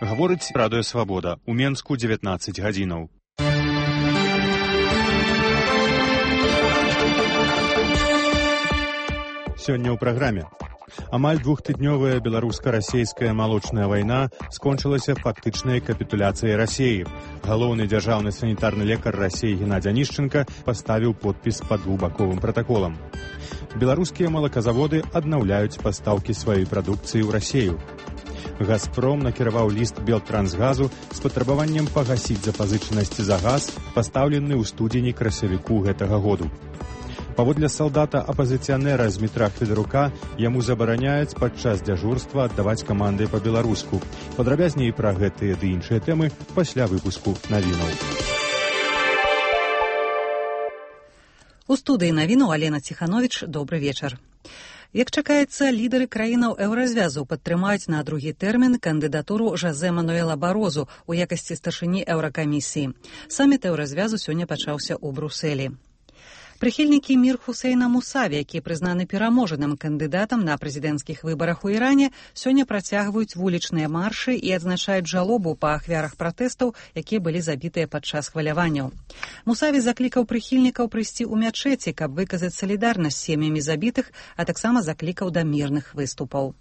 Гаворыць Радыё Свабода. У Менску 19 гадзінаў. Сёння ў праграме. Амаль двухтыднёвая беларуска-расейская малочная вайна скончылася фактычнай капітуляцыяй Расіі. Галоўны дзяржаўны санітарны лекар Расіі Геннадзь Анішченка паставіў подпіс пад двухбаковым пратаколам. Беларускія малаказаводы аднаўляюць пастаўкі сваёй прадукцыі ў Расію. «Газпром» накіраваў ліст Белтрансгазу з патрабаваннем пагасіць запазычанасці за газ, пастаўлены ў студзені-красавіку гэтага году. Паводле салдата-апазіцыянера Змітра Федарука, яму забараняюць падчас дзяжурства аддаваць каманды па-беларуску. Падрабязней пра гэтыя ды іншыя тэмы пасля выпуску навінаў. У студыі навінаў Алена Ціхановіч. Добры вечар. Як чакаецца, лідары краінаў еўразвязу падтрымаюць на другі тэрмін кандыдатуру Жозе Мануэла Барозу у якасці старшыні еўракамісіі. Саміт еўразвязу сёння пачаўся ў Брусэлі. Прыхільнікі Мір Хусейна Мусаві, які прызнаны пераможаным кандыдатам на прэзідэнцкіх выбарах у Іране, сёння працягваюць вулічныя маршы і адзначаюць жалобу па ахвярах пратэстаў, якія былі забітыя падчас хваляванняў. Мусаві заклікаў прыхільнікаў прыйсці ў мячэці, каб выказаць салідарнасць з сем'ямі забітых, а таксама заклікаў да мірных выступаў.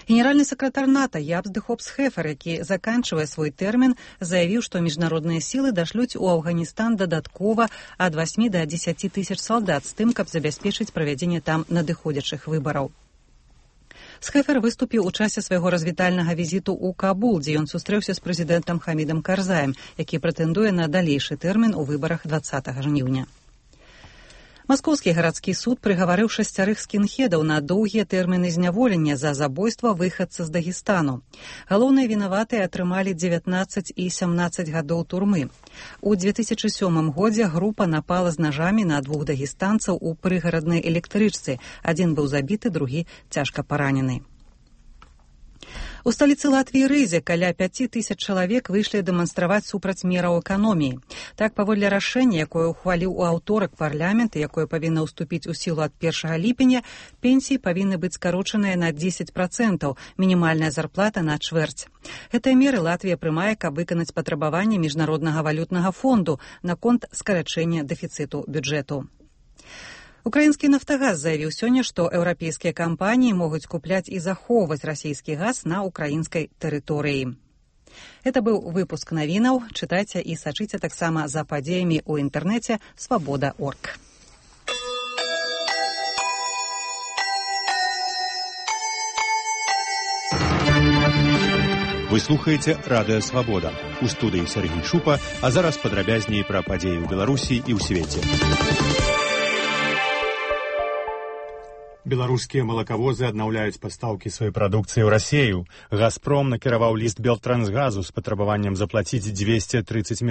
Генеральны сакратар НАТО Ябс де Хопс-Хефер, які заканчвае свой тэрмін, заявіў, што міжнародныя сілы дашлюць у Афганістан дадаткова ад 8 до 10 тысяч салдат з тым, каб забяспечыць правядзенне там надыходзячых выбараў. Схефер выступіў у часе свайго развітальнага візіту ў Кабул, дзе ён сустрэўся з прэзідэнтам Хамідам Карзаем, які прэтэндуе на далейшы тэрмін у выбарах 20 жніўня. Маскоўскі гарадскі суд прыгаварыў 6 скінхедаў на доўгія тэрміны зняволення за забойства выхадца з Дагестану. Галоўныя вінаватыя атрымалі 19 і 17 гадоў турмы. У 2007 годзе група напала з нажамі на 2 дагестанцаў у прыгараднай электрычцы. Адзін быў забіты, другі цяжка паранены. У сталіцы Латвіі Рызе каля 5000 чалавек выйшлі дэманстраваць супраць мераў эканоміі. Так, паводле рашэння, якое ухваліў у аўторак парламент, якое павінна ўступіць у сілу ад 1 ліпеня, пенсіі павінны быць скарочаныя на 10%, мінімальная зарплата на чвэрць. Гэтыя меры Латвія прымае, каб выканаць патрабаванні міжнароднага валютнага фонду наконт скарачэння дэфіцыту бюджэту. Украінскі «Нафтагаз» заявіў сёння, што еўрапейскія кампаніі могуць купляць і захоўваць расійскі газ на украінскай тэрыторыі. Гэта быў выпуск навінаў. Чытайце і сачыце таксама за падзеямі ў інтэрнэце «Свабода.орг». Вы слухаеце Радыё Свабода. У студыі Сергій Шупа, а зараз падрабязней пра падзеі ў Беларусі і ў свеце. Беларускія малакавозы аднаўляюць пастаўкі сваёй прадукцыі ў Расію. «Газпром» накіраваў ліст Белтрансгазу з патрабаваннем заплаціць 230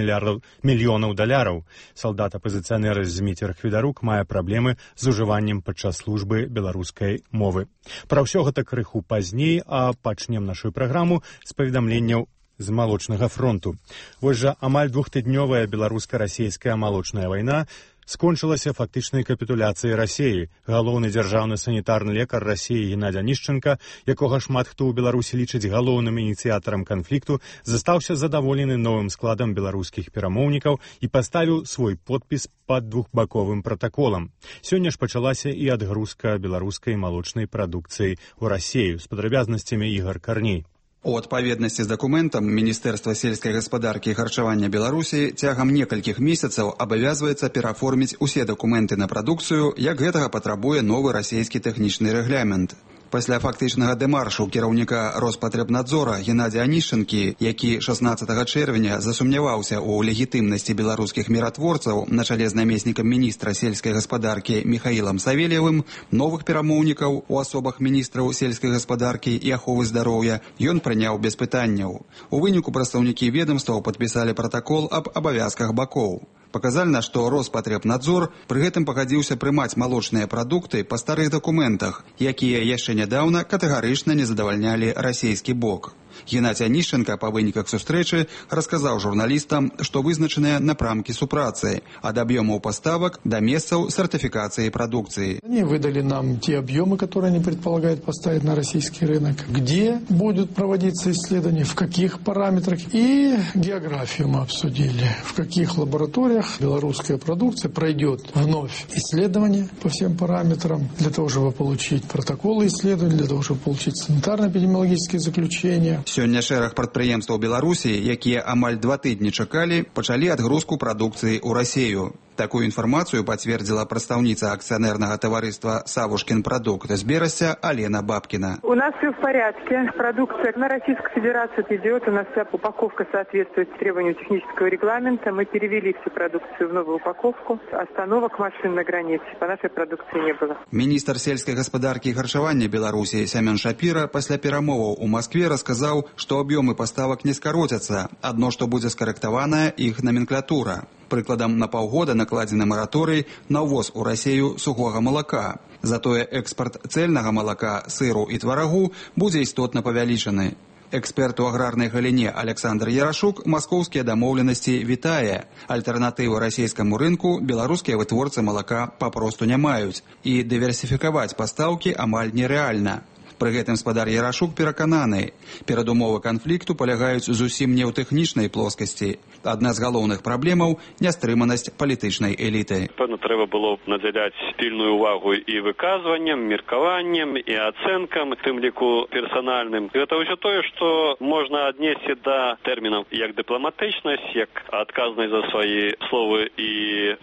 мільёнаў даляраў. Салдат-апазіцыянер Змітер Федарук мае праблемы з ужываннем падчас службы беларускай мовы. Пра ўсё гэта крыху пазней, а пачнем нашу праграму з паведамленняў з малочнага фронту. Вось жа амаль двухтыднёвая беларуска-расійская малочная вайна скончылася фактычнай капітуляцыяй Расіі. Галоўны дзяржаўны санітарны лекар Расіі Геннадзь Анішченка, якога шмат хто ў Беларусі лічыць галоўным ініцыятарам канфлікту, застаўся задаволены новым складам беларускіх перамоўнікаў і паставіў свой подпіс пад двухбаковым пратаколам. Сёння ж пачалася і адгрузка беларускай малочнай прадукцыі ў Расію. З падрабязнасцямі Ігор Карней. У адпаведнасці з дакументам Міністэрства сельскай гаспадаркі і харчавання Беларусі цягам некалькіх месяцаў абавязваецца пераформіць усе дакументы на прадукцыю, як гэтага патрабуе новы расійскі тэхнічны рэгламент. Пасля фактычнага дэмаршу кіраўніка Роспатребнадзора Геннадзя Анішченкі, які 16 чэрвеня засумняваўся ў легітымнасці беларускіх міратворцаў на чале з намеснікам міністра сельскай гаспадаркі Міхаілам Савельевым, новых перамоўнікаў у асобах міністраў сельскай гаспадаркі і аховы здароўя ён прыняў без пытанняў. У выніку прадстаўнікі ведамстваў падпісалі пратакол аб абавязках бакоў. Паказальна, што Роспатребнадзор пры гэтым пагадзіўся прымаць малочныя прадукты па старых дакументах, якія яшчэ нядаўна катэгарычна не задавальнялі расійскі бок. Геннадзь Анішченка па выніках сустрэчы расказаў журналістам, што вызначаныя напрамкі супрацы ад аб'ёмаў паставак да месцаў сертификации продукции. Они выдали нам те объемы, которые они предполагают поставить на российский рынок, где будут проводиться исследования, в каких параметрах, и географию мы обсудили, в каких лабораториях белорусская продукция пройдет вновь исследования по всем параметрам, для того, чтобы получить протоколы исследований, для того, чтобы получить санитарно-эпидемиологические заключения. Сёння шэраг прадпрыемстваў Беларусі, якія амаль 2 тыдні чакалі, пачалі адгрузку прадукцыі ў Расію. Такую информацию подтвердила представница акционерного товариства «Савушкин продукт» из Берестя Алена Бабкина. У нас все в порядке. Продукция на Российскую Федерацию идет. У нас вся упаковка соответствует требованию технического регламента. Мы перевели всю продукцию в новую упаковку. Остановок машин на границе по нашей продукции не было. Министр сельской господарки и харчевания Беларуси Семен Шапира после перамоваў у Москве рассказал, что объемы поставок не скоротятся. Одно, что будет скорректована их номенклатура. Прыкладам, на паўгода накладзены мараторый на ўвоз у Расію сухога малака. Затое экспорт цельнага малака, сыру і тварагу будзе істотна павялічаны. Эксперт у аграрнай галіне Александр Ярашук маскоўскія дамоўленасці вітае. Альтэрнатывы расійскаму рынку беларускія вытворцы малака папросту не маюць, і дыверсіфікаваць пастаўкі амаль нерэальна. Пры гэтым спадар Ярашук перакананы, перадумовы канфлікту палягаюць зусім не ў тэхнічнай плоскасці. Адна з галоўных праблемаў – нястрыманасць палітычнай эліты. Певно, трэба было надзяляць пільную увагу і выказванням, меркаваннем, і ацэнкам, тым ліку персанальным. Гэта ўсё тое, што можна аднесці да тэрмінаў як дыпламатычнасць, як адказнасць за свае словы і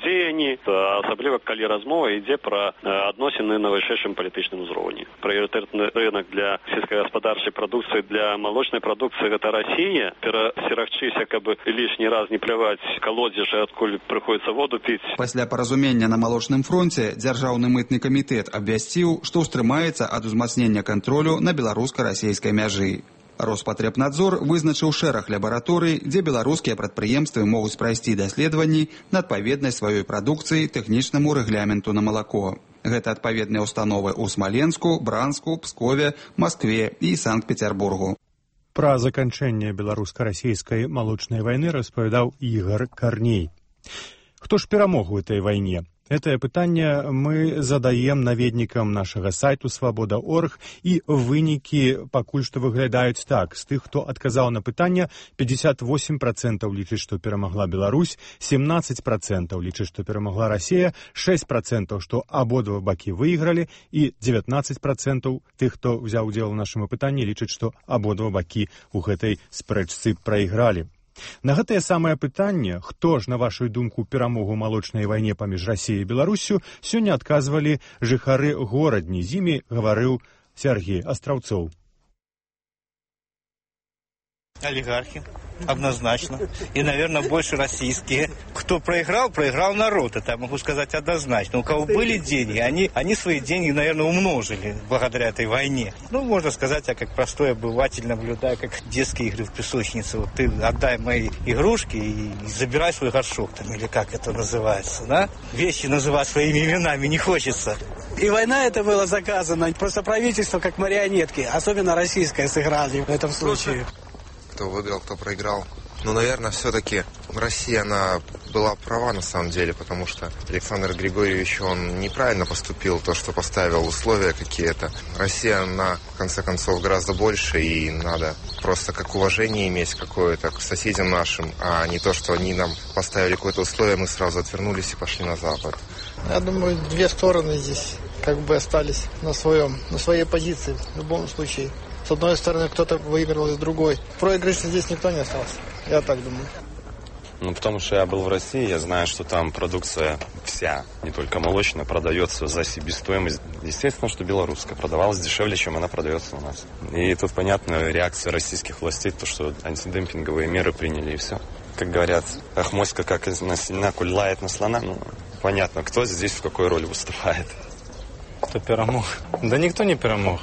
дзеянні, асабліва калі размова ідзе пра адносіны на вышэйшым палітычным узроўні. Прыярытэтны рынок для сельскагаспадарчай прадукцыі, для малочнай прадукцыі гэта Расія. Перасцерагчыся, каб лішні раз не пляваць калодзежы, адкуль прыходзіцца воду піць. Пасля паразумення на малочным фронце дзяржаўны мытны камітэт абвясціў, што ўстрымаецца ад узмацнення кантролю на беларуска-расійскай мяжы. Роспатребнадзор вызначыў шэраг лабараторый, дзе беларускія прадпрыемствы могуць прайсці даследаванні на адпаведнасць сваёй прадукцыі тэхнічнаму рэгламенту на малако. Гэта адпаведныя установы ў Смаленску, Бранску, Пскове, Маскве і Санкт-Петербургу. Пра заканчэнне беларуска-расійскай малочнай вайны распавядаў Ігор Карней. Хто ж перамог у этой вайне? Гэтае пытанне мы задаем наведнікам нашага сайту «Свабода.орг», і вынікі пакуль што выглядаюць так. З тых, хто адказаў на пытанне, 58% лічыць, што перамагла Беларусь, 17% лічыць, што перамагла Расія, 6% што абодва бакі выйгралі, і 19% тых, хто ўзяў удзел у нашым пытанні, лічыць, што абодва бакі ў гэтай спрэчцы прайгралі. На гэтае самае пытанне, хто ж, на вашу думку, перамогу ў малочнай вайне паміж Расіяй і Беларуссю, сёння адказвалі жыхары горадні. З імі гаварыў Сергей Астраўцоў. Олигархи, однозначно. И, наверное, больше российские. Кто проиграл, проиграл народ. Это я могу сказать однозначно. У кого были деньги, они свои деньги, наверное, умножили благодаря этой войне. Ну, можно сказать, я как простой обыватель наблюдаю, как детские игры в песочнице. Вот ты отдай мои игрушки и забирай свой горшок, там, или как это называется, да? Вещи называть своими именами не хочется. И война это была заказана. Просто правительство как марионетки, особенно российское, сыграли в этом случае. Кто выиграл, кто проиграл. Ну, наверное, все-таки Россия, она была права на самом деле, потому что Александр Григорьевич, он неправильно поступил, то, что поставил условия какие-то. Россия, она, в конце концов, гораздо больше, и надо просто как уважение иметь какое-то к соседям нашим, а не то, что они нам поставили какое-то условие, мы сразу отвернулись и пошли на Запад. Я думаю, две стороны здесь как бы остались на своей позиции в любом случае. С одной стороны, кто-то выиграл, и с другой. Проигрышно здесь никто не остался. Я так думаю. Ну, потому что я был в России, я знаю, что там продукция вся, не только молочная, продается за себестоимость. Естественно, что белорусская продавалась дешевле, чем она продается у нас. И тут понятна реакция российских властей, то, что антидемпинговые меры приняли, и все. Как говорят, Ахмоська как на сильна, коль лает на слона. Ну, понятно, кто здесь в какой роли выступает. Кто перемог? Да никто не перемог.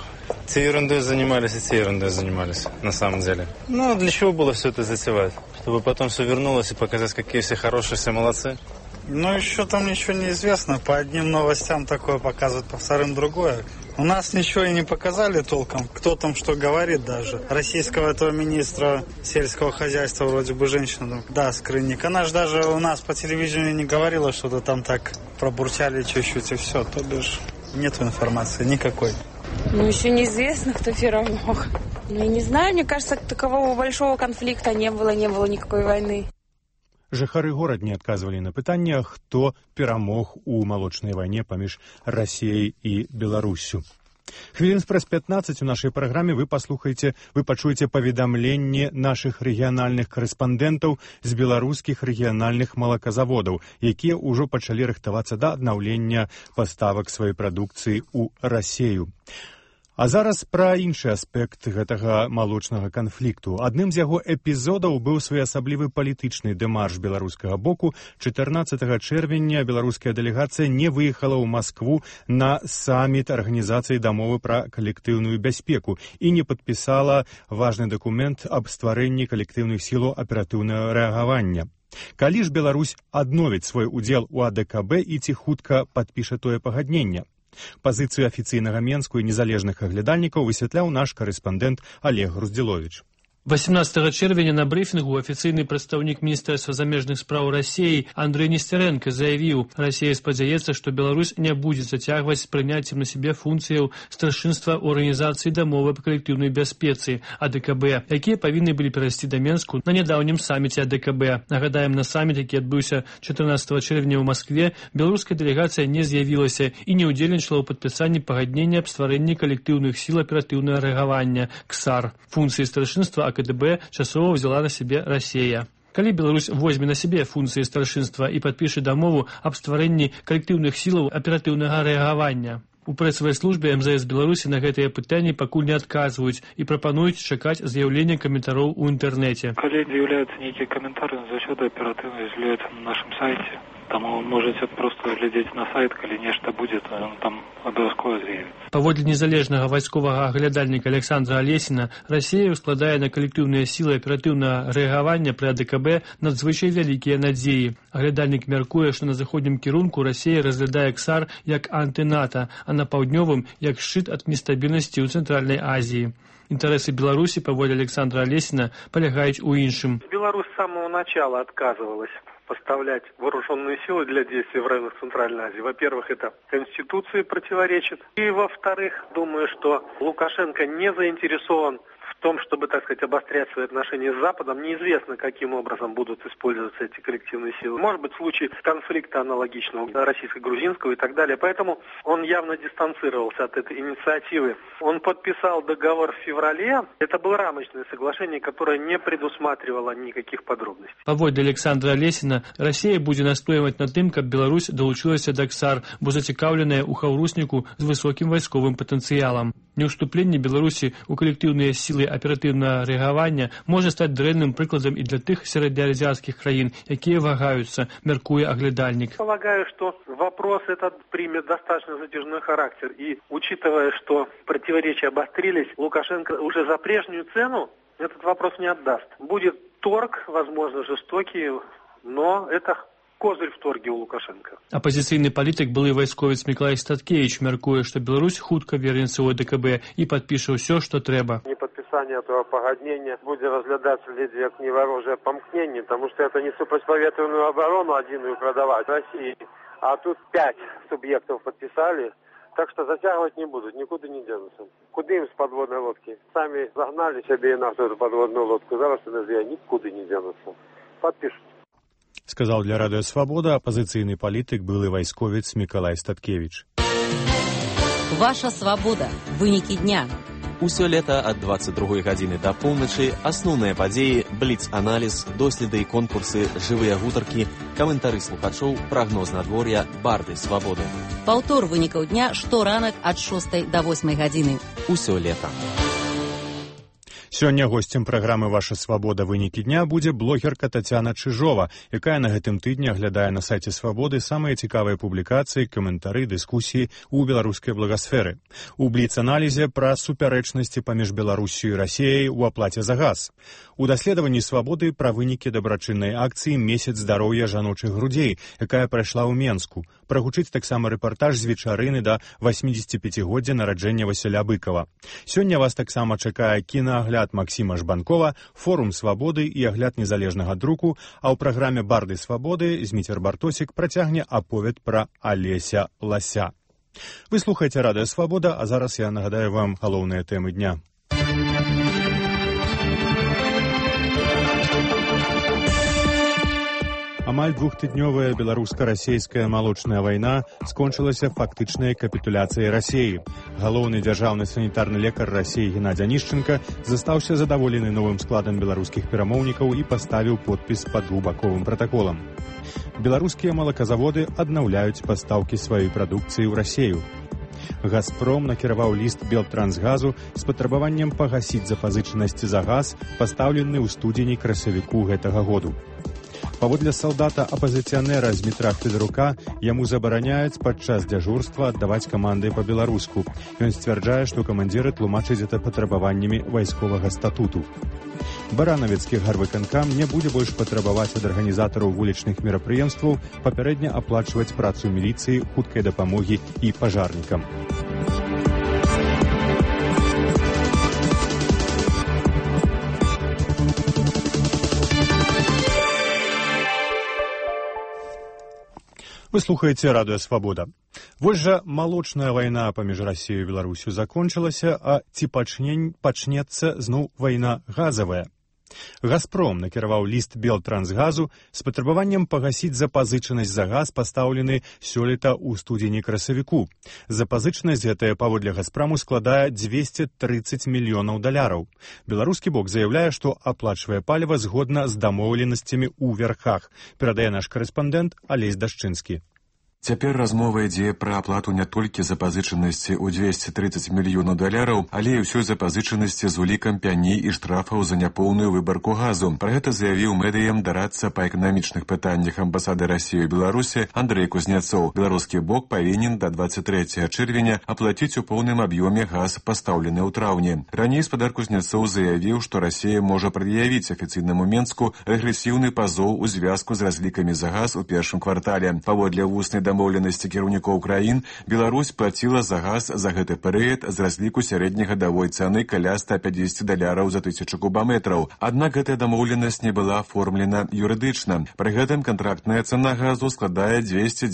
Те ерундой занимались, и те ерундой занимались, на самом деле. Ну, для чего было все это затевать? Чтобы потом все вернулось и показать, какие все хорошие, все молодцы? Ну, еще там ничего не известно. По одним новостям такое показывают, по вторым другое. У нас ничего и не показали толком. Кто там что говорит даже. Российского этого министра сельского хозяйства, вроде бы женщина, да, Скрынник. Она же даже у нас по телевидению не говорила, что-то там так пробурчали чуть-чуть и все. То бишь нет информации никакой. Ну, еще неизвестно, кто перемог. Ну, я не знаю, мне кажется, такового большого конфликта не было никакой войны. Жыхары горад не адказвалі на пытанне, хто перамог у малочнай вайне паміж Расіяй і Беларуссю. Хвілін праз 15 у нашай праграме вы пачуеце паведамленне нашых рэгіянальных карэспандэнтаў з беларускіх рэгіянальных малаказаводаў, якія ўжо пачалі рыхтавацца да аднаўлення паставак сваёй прадукцыі ў Расею. А зараз пра іншы аспект гэтага малочнага канфлікту. Адным з яго эпізодаў быў своеасаблівы палітычны дэмарш беларускага боку. 14 чэрвеня беларуская дэлегацыя не выехала ў Маскву на саміт Арганізацыі дамовы пра калектыўную бяспеку і не падпісала важны дакумент аб стварэнні калектыўных сілаў аператыўнага рэагавання. Калі ж Беларусь адновіць свой удзел у АДКБ і ці хутка падпіша тое пагадненне? Пазіцыю афіцыйнага Менску і незалежных аглядальнікаў высвятляў наш карэспандэнт Олег Груздзіловіч. 18 чэрвеня на брифінгу афіцыйны прадстаўнік Міністэрства замежных спраў Расіі Андрэй Несцярэнка заявіў, Расія спадзяецца, што Беларусь не будзе зацягваць з прыняццем на сябе функцыяў старшынства ў Арганізацыі дамовы па калектыўнай бяспецы АДКБ, якія павінны былі перайсці да Менску на нядаўнім саміце АДКБ. Нагадаем, на саміт, які адбыўся 14 чэрвеня ў Маскве, беларуская дэлегацыя не з'явілася і не ўдзельнічала ў падпісанні пагаднення аб стварэнні калектыўных сіл аператыўнага рэагавання КСАР. Функцыі старшынства КДБ часова взяла на себе Россия. Калі Беларусь возьме на себе функции старшынства и подпишет дамову об стварэнні коллективных силаў оперативного реагирования. У прэсавай службе МЗС Беларусі на гэтыя пытанні пакуль не адказваюць і прапануюць чакаць з'яўлення каментароў у інтэрнэце. Калі з'яўляюцца нейкія каментары, заўсёды аператыўна з'яўляюцца на нашым сайце. Таму можете просто глядзець на сайт, калі нешта будзе, то ён там абавязкова з'явіцца. Паводле незалежнага вайсковага аглядальніка Александра Алесіна, Расія складае на калектыўныя сілы аператыўнага рэагавання пры АДКБ надзвычай вялікія надзеі. Аглядальнік мяркуе, што на заходнім кірунку Расія разглядае КСАР як антыната, а на паўднёвым як шчыт ад нестабільнасці ў Цэнтральнай Азіі. Интересы Беларуси, по воле Александра Олесина, полягают у іншим. Беларусь с самого начала отказывалась поставлять вооруженные силы для действий в районах Центральной Азии. Во-первых, это Конституции противоречит. И во-вторых, думаю, что Лукашенко не заинтересован в том, чтобы, так сказать, обострять свои отношения с Западом. Неизвестно, каким образом будут использоваться эти коллективные силы. Может быть, случай конфликта аналогичного российско-грузинского и так далее. Поэтому он явно дистанцировался от этой инициативы. Он подписал договор в феврале. Это было рамочное соглашение, которое не предусматривало никаких подробностей. Паводле Александра Олесіна, Расія будзе настойваць на тым, каб Беларусь далучылася да КСАР, бо зацікаўленая ў хаўрусніку з высокім вайсковым патэнцыялам. Неўступленне Беларусі ў калектыўныя сілы оперативного реагирования может стать дрэнным прикладом и для тех среднеазиатских краин, якія вагаются, мяркуе оглядальник. Полагаю, что вопрос этот примет достаточно затяжной характер. И учитывая, что противоречия обострились, Лукашенко уже за прежнюю цену этот вопрос не отдаст. Будет торг, возможно, жестокий, но это козырь в торге у Лукашенко. Оппозиційний політик, былий військовець Миколай Статкевич мяркує, що Білорусь хутка вернеться у АДКБ і підпише все, що треба. Неподписание этого погоднения будет разглядаться лишь как неворожее помкнение, потому что это не противоветренную оборону одиную продавать России, а тут 5 субъектов подписали, так что затягивать не будут, никуда не денутся. Куда им с подводной лодки? Сами загнали себе на эту подводную лодку, зараз никуда не денутся. Подпишут. Сказал для Радио Свобода оппозиционный политик, былый войсковец Миколай Статкевич. Ваша свобода. Вынікі дня. Усё лета ад 22 гадзіны да поўначы асноўныя падзеі, бліц-аналіз, доследы і конкурсы, жывыя гутаркі, каментары слухачоў, прагноз надвор'я, барды свабоды. Паўтор вынікаў дня шторанак ад 6 до 8 гадзіны. Усё лета. Сёння госцем праграмы «Ваша свабода. Вынікі дня» будзе блогерка Тацяна Чыжова, якая на гэтым тыдні аглядае на сайце Свабоды самыя цікавыя публікацыі, каментары, дыскусіі ў беларускай благасферы. У бліц-аналізе пра супярэчнасці паміж Беларусю і Расіяй у аплаце за газ. У даследаванні Свабоды пра вынікі дабрачыннай акцыі «Месяц здароўя жаночых грудзей», якая прайшла ў Менску. Прагучыць таксама рэпартаж з вечарыны да 85-годдзя нараджэння Васіля Быкова. Сёння вас таксама чакае кінаагляд Максіма Жбанкова, форум свабоды і агляд незалежнага друку, а ў праграме «Барды свабоды» Зміцер Бартосік працягне аповед пра Алеся Лася. Вы слухаеце радыё «Свабода», а зараз я нагадаю вам галоўныя тэмы дня. Амаль двухтыднёвая беларуска-расейская малочная вайна скончылася фактычнай капітуляцыяй Расіі. Галоўны дзяржаўны санітарны лекар Расіі Геннадзь Анішченка застаўся задаволены новым складам беларускіх перамоўнікаў і паставіў подпіс пад двухбаковым пратаколам. Беларускія малаказаводы аднаўляюць пастаўкі сваёй прадукцыі ў Расію. «Газпром» накіраваў ліст Белтрансгазу з патрабаваннем пагасіць запазычанасці за газ, пастаўлены ў студзені-красавіку гэтага году. Паводле салдата-апазіцыянера Змітра Федарука, яму забараняюць падчас дзяжурства аддаваць каманды па-беларуску. Ён сцвярджае, што камандзіры тлумачаць гэта патрабаваннямі вайсковага статуту. Баранавецкі гарвыканкам не будзе больш патрабаваць ад арганізатараў вулічных мерапрыемстваў папярэдне аплачваць працу міліцыі, хуткай дапамогі і пажарнікам. Вы слухаеце радыё «Свабода». Вось жа малочная вайна паміж Расіяй і Беларусю закончылася, а ці пачнецца зноў вайна газавая? «Газпром» накіраваў ліст Белтрансгазу з патрабаваннем пагасіць запазычанасць за газ, пастаўлены сёлета ў студзені-красавіку. Запазычанасць гэтая паводле «Газпраму» складае $230 мільёнаў. Беларускі бок заяўляе, што аплачвае паліва згодна з дамоўленасцямі ў вярхах, перадае наш карэспандэнт Алесь Дашчынскі. Цяпер размова ідзе пра аплату не толькі запазычанасці ў $230 мільёнаў, але і ўсёй запазычанасці з улікам пяні і штрафаў за няпоўную выбарку газу. Пра гэта заявіў медыям дарадца па эканамічных пытаннях амбасады Расіі ў Беларусі Андрэй Кузняцоў. Беларускі бок павінен да 23 чэрвеня аплаціць у поўным аб'ёме газ, пастаўлены ў траўні. Раней спадар Кузняцоў заявіў, што Расія можа прад'явіць афіцыйнаму Менску рэгрэсіўны пазоў у звязку з разлікамі за газ у першым квартале. Паводле вуснай дамоўленасці кіраўнікоў краін, Беларусь плаціла за газ за гэты перыяд з разліку сярэднегадавой цаны каля $150 за 1000 кубаметраў. Аднак гэтая дамоўленасць не была аформлена юрыдычна. Пры гэтым кантрактная цана газу складае $210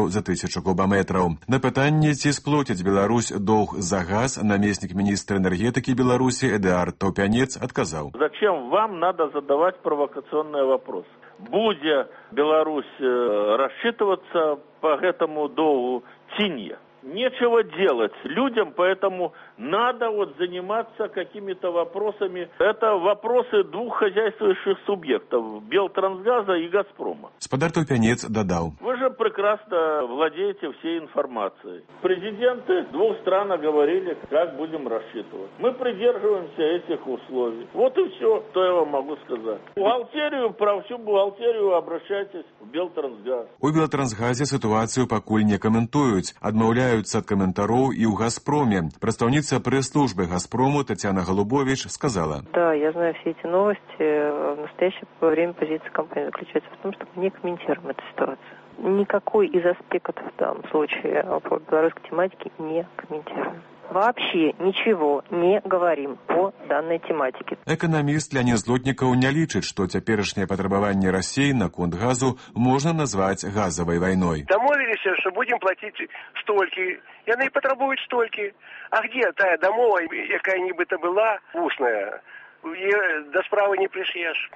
за 1000 кубаметраў. На пытанне, ці сплоціць Беларусь доўг за газ, намеснік міністра энергетыкі Беларусі Эдуард Таўпянец адказаў: «Зачем вам надо задавать провокационные вопросы? Будет Беларусь рассчитываться по этому долгу ці не? Нечего делать людям, поэтому надо заниматься какими-то вопросами. Это вопросы двух хозяйствующих субъектов – Белтрансгаза и Газпрома». Спадар Таўпянец дадаў: «Вы же прекрасно владеете всей информацией. Президенты двух стран говорили, как будем рассчитывать. Мы придерживаемся этих условий. Вот и все, что я вам могу сказать. Про всю бухгалтерию обращайтесь в Белтрансгаз». У Белтрансгазе ситуацию пакуль не комментуюць, адмаўляюцца ад каментароў і ў Газпроме. Прадстаўніца прэс-службы Газпрому Татьяна Голубович сказала: «Да, я знаю все эти новости. В настоящее время позиция компании заключается в том, что мы не комментируем эту ситуацию. Никакой из аспектов в данном случае по белорусской тематике не комментируем. Вообще ничего не говорим по данной тематике». Эканаміст Леонид Злотнікаў не лічыць, што цяперашняе патрабаванне Расіі наконт газу можна назваць газавай вайной. Дамовіліся, што будзем плаціць столькі. Яны і патрабуюць столькі. А где тая дамова, якая нібыта была вусная? Да справы не прыш'еш.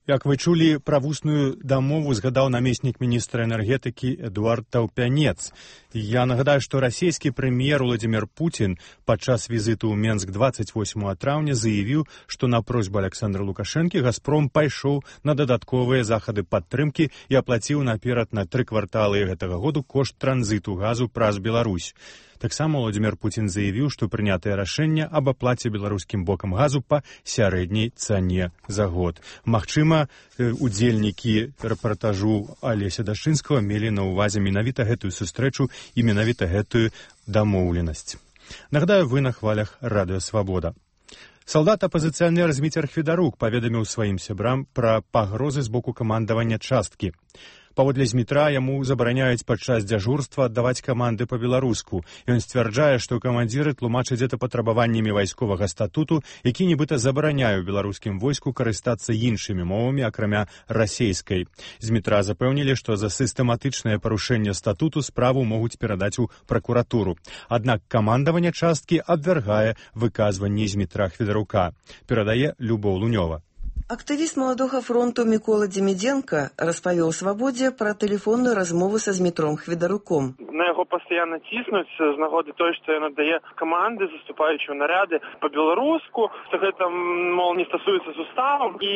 Як вы чулі, пра вусную дамову згадаў намеснік міністра энергетыкі Эдуард Таўпянец. Я нагадаю, што расійскі прэм'ер Владзімір Пуцін падчас візіту ў Менск 28 траўня заявіў, што на просьбу Александра Лукашэнкі «Газпром» пайшоў на дадатковыя захады падтрымкі і аплаціў наперад на 3 кварталы гэтага году кошт транзіту газу праз Беларусь. Таксама Владзімір Пуцін заявіў, што прынятае рашэнне аб аплаце беларускім бокам газу па сярэдняй цане за год. Магчыма, удзельнікі рэпартажу Алеся Дашчынскага мелі на ўвазе менавіта гэтую сустрэчу і менавіта гэтую дамоўленасць. Нагадаю, вы на хвалях радыё «Свабода». Салдат-апазіцыянер Зміцер Федарук паведаміў сваім сябрам пра пагрозы з боку камандавання часткі. Паводле Змітра яму забараняюць падчас дзяжурства аддаваць каманды па-беларуску. Ён сцвярджае, што камандзіры тлумачаць гэта патрабаваннямі вайсковага статуту, які нібыта забараняе ў беларускім войску карыстацца іншымі мовамі, акрамя расейскай. Змітра запэўнілі, што за сістэматычнае парушэнне статуту справу могуць перадаць у пракуратуру. Аднак камандаванне часткі абвяргае выказванні Змітра Хведарука. Перадае Любоў Лунёва. Актывіст Маладога фронту Мікола Дземідзенка распавёў Свабодзе пра тэлефонную размову са Змітром Хведаруком. На яго пастаянна ціснуць з нагоды той, што ён аддае каманды, заступаючы ў наряды па-беларуску, што гэта, мол, не стасуецца з уставам і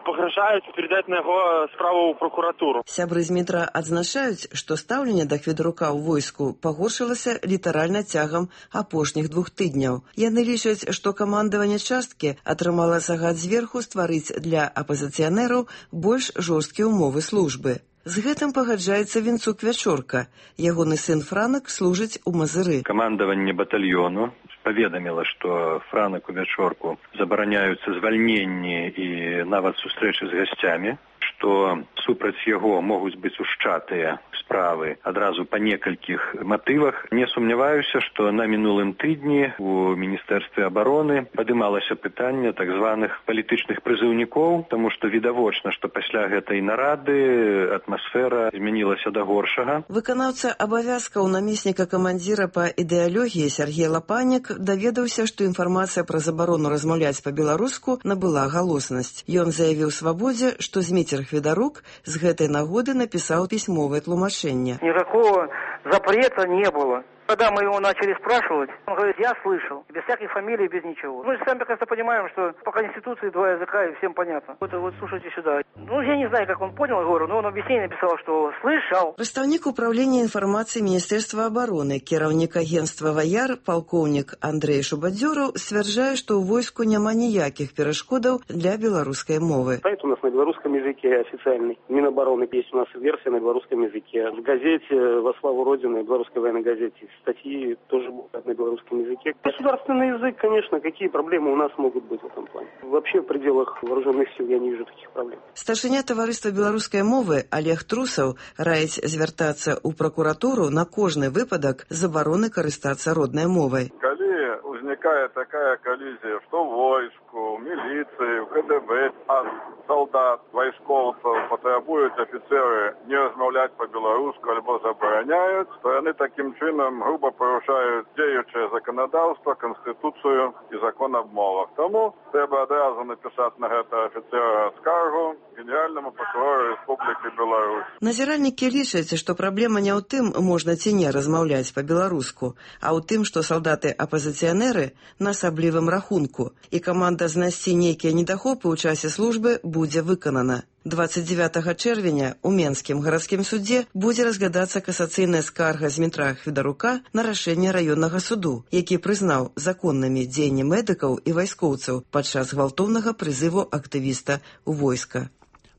пагражаюць перадаць на яго справу ў пракуратуру. Сябры Змітра адзначаюць, што стаўленне да Хведарука ў войску пагоршылася літаральна цягам апошніх 2 тыдняў. Яны лічаць, што камандаванне часткі атрымала загад зверху стварыць для апазіцыянераў больш жорсткія ўмовы службы. З гэтым пагаджаецца Вінцук Вячорка. Ягоны сын Франак служыць у Мазыры. Камандаванне батальёну паведаміла, што Франаку Вячорку забараняюцца звальненні і нават сустрэчы з гасцямі, што супраць яго могуць быць ушчатыя справы адразу па некалькіх матывах. Не сумняваюся, што на мінулым тыдні у Міністэрстве абароны падымалася пытанне так званых палітычных прызыўнікоў, таму што відавочна, што пасля гэтай нарады атмасфера змянілася да горшага. Выканаўца абавязкаў намесніка камандзіра па ідэалогіі Сергей Лапанік даведаўся, што інфармацыя пра забарону размаўляць па-беларуску набыла галоснасць. Ён заявіў Свабодзе, што Зміцер Хведарук з гэтай нагоды напісаў пісьмовае тлумачэнне. Никакого запрета не было. Когда мы его начали спрашивать, он говорит, я слышал, без всяких фамилий, без ничего. Мы же сами прекрасно понимаем, что по Конституции 2 языка, и всем понятно. Вот слушайте сюда. Я не знаю, как он понял, говорю, но он объяснение написал, что слышал. Прадстаўнік управлення інфармацыі Міністэрства абароны, кіраўнік агенцтва «Ваяр», палкоўнік Андрей Шубадзёраў сцвярджае, што ў войску няма ніякіх перашкодаў для беларускай мовы. Сайт у нас на белорусском языке официальный. Минобороны есть у нас версия на белорусском языке. В газете «Во славу Родины», белорусской военной газете, статьи тоже будут на белорусском языке. Государственный язык, конечно, какие проблемы у нас могут быть в этом плане. Вообще в пределах вооруженных сил я не вижу таких проблем. Старшыня таварыства беларускай мовы Олег Трусаў раіць звяртацца ў пракуратуру на кожны выпадак забароны карыстацца роднай мовай. Калі ўзнікае такая коллизия, что в войску, в милиции, в КДБ, от солдат, войсковцев потребуют офицеры не размовлять по-белорусски альбо забороняют, то они таким чином грубо порушают діюче законодавство, Конституцию и закон об мовах. Тому треба одразу написати на гэта офіцера скаргу Генеральному прокурору Республики Беларусь. Назіральнікі лічаць, што праблема не ў тым, можна ці не размаўляць па-беларуску, а ў тым, што салдаты-апазіцыянеры на асаблівым рахунку, і каманда знайсці нейкія недахопы ў часе службы будзе выканана. 29 чэрвеня ў Менскім гарадскім судзе будзе разглядацца касацыйная скарга Змітра Хведарука на рашэнне раённага суду, які прызнаў законнымі дзеянні медыкаў і вайскоўцаў падчас гвалтоўнага прызыву актывіста ў войска.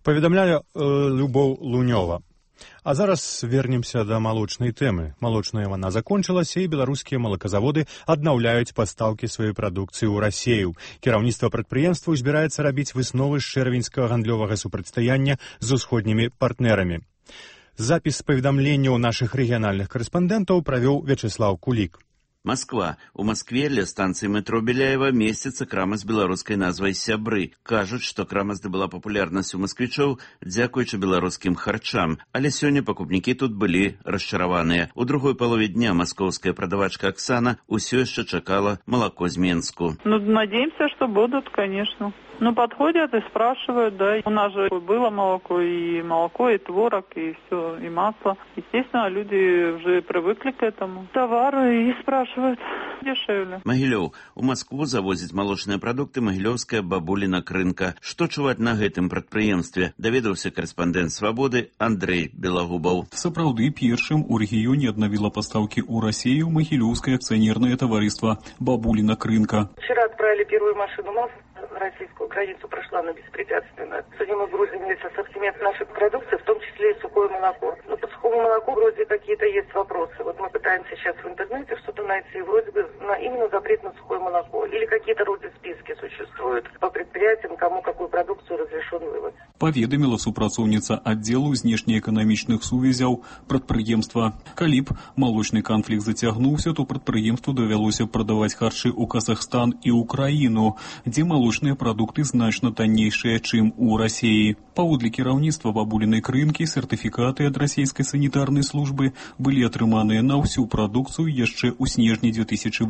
Паведамляе Любоў Лунёва. А зараз вернемся да малочнай тэмы. Малочная вайна закончылася, і беларускія малаказаводы аднаўляюць пастаўкі сваёй прадукцыі ў Расею. Кіраўніцтва прадпрыемства збіраецца рабіць высновы з чэрвеньскага гандлёвага супрацьстаяння з усходнімі партнерамі. Запіс паведамленняў нашых рэгіянальных карэспандэнтаў правёў Вячеслав Кулік. Москва. У Москве ля станцыі метро Беляева месціцца крама з беларускай назвай «Сябры». Кажуць, што крама здабыла папулярнасць у масквічоў дзякуючы беларускім харчам. Але сёння пакупнікі тут былі расчараваныя. У другой палове дня маскоўская прадавачка Оксана ўсё яшчэ чакала малако з Менску. Надеемся, что будут, конечно. Подходят и спрашивают, да. У нас же было молоко, и творог, и все, и масло. Естественно, люди уже привыкли к этому. Товары и спрашивают дешевле. Магілёў. У Москву завозіць малочныя прадукты магілёўская бабуліна Крынка. Што чуваць на гэтым прадпрыемстве? Даведаўся карэспандэнт Свабоды Андрей Белагубаў. Сапраўды, першым у рэгіёне аднавіла пастаўкі ў Расею магілёўскае акцыянернае таварыства «Бабуліна Крынка». Вчера отправили первую машину масла. на российскую границу прошла она беспрепятственно. Сегодня мы грузим весь ассортимент нашей продукции, в том числе и сухое молоко. Но по сухому молоку вроде какие-то есть вопросы. Вот мы пытаемся сейчас в интернете что-то найти, вроде бы именно запрет на сухое молоко. Или какие-то вроде списки существуют по предприятиям, кому какую продукцию разрешен вывоз. Паведаміла супрацоўніца аддзелу знешнеэканамічных сувязяў прадпрыемства. Калі б малочны канфлікт зацягнуўся, то прадпрыемству давялося прадаваць харчы ў Казахстан і ўкраіну, дзе малочныя прадукты значна таннейшыя, чым у Расіі. Паводле кіраўніцтва бабулінай крынкі сертыфікаты ад расійскай санітарнай службы былі атрыманыя на ўсю прадукцыю яшчэ ў снежні 2008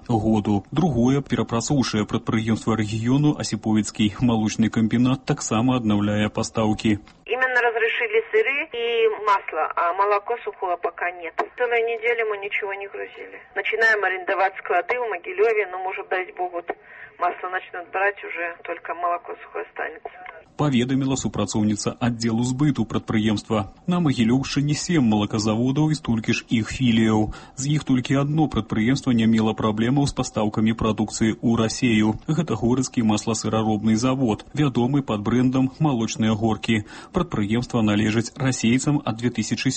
году. Другое, перапрацоўшае прадпрыемства рэгіёну Асіповіцкі малочны камбінат таксама аднаўляе пастаўкі. Именно разрешили сыры и масло, а молоко сухое пока нет. Целую неделю мы ничего не грузили. Начинаем арендовать склады в Могилеве, но, может, дай бог, вот масло начнут брать, уже только молоко сухое останется. Паведаміла супрацоўніца аддзелу збыту прадпрыемства. На Магілёўшчыне 7 малаказаводаў і столькі ж іх філіяў. З іх толькі одно прадпрыемства не мела праблемаў з пастаўкамі прадукцыі ў Расею. Гэта горацкі масласыраробны завод, вядомы пад брэндам «Малочныя горкі». Прадпрыемства належаць расейцам ад 2007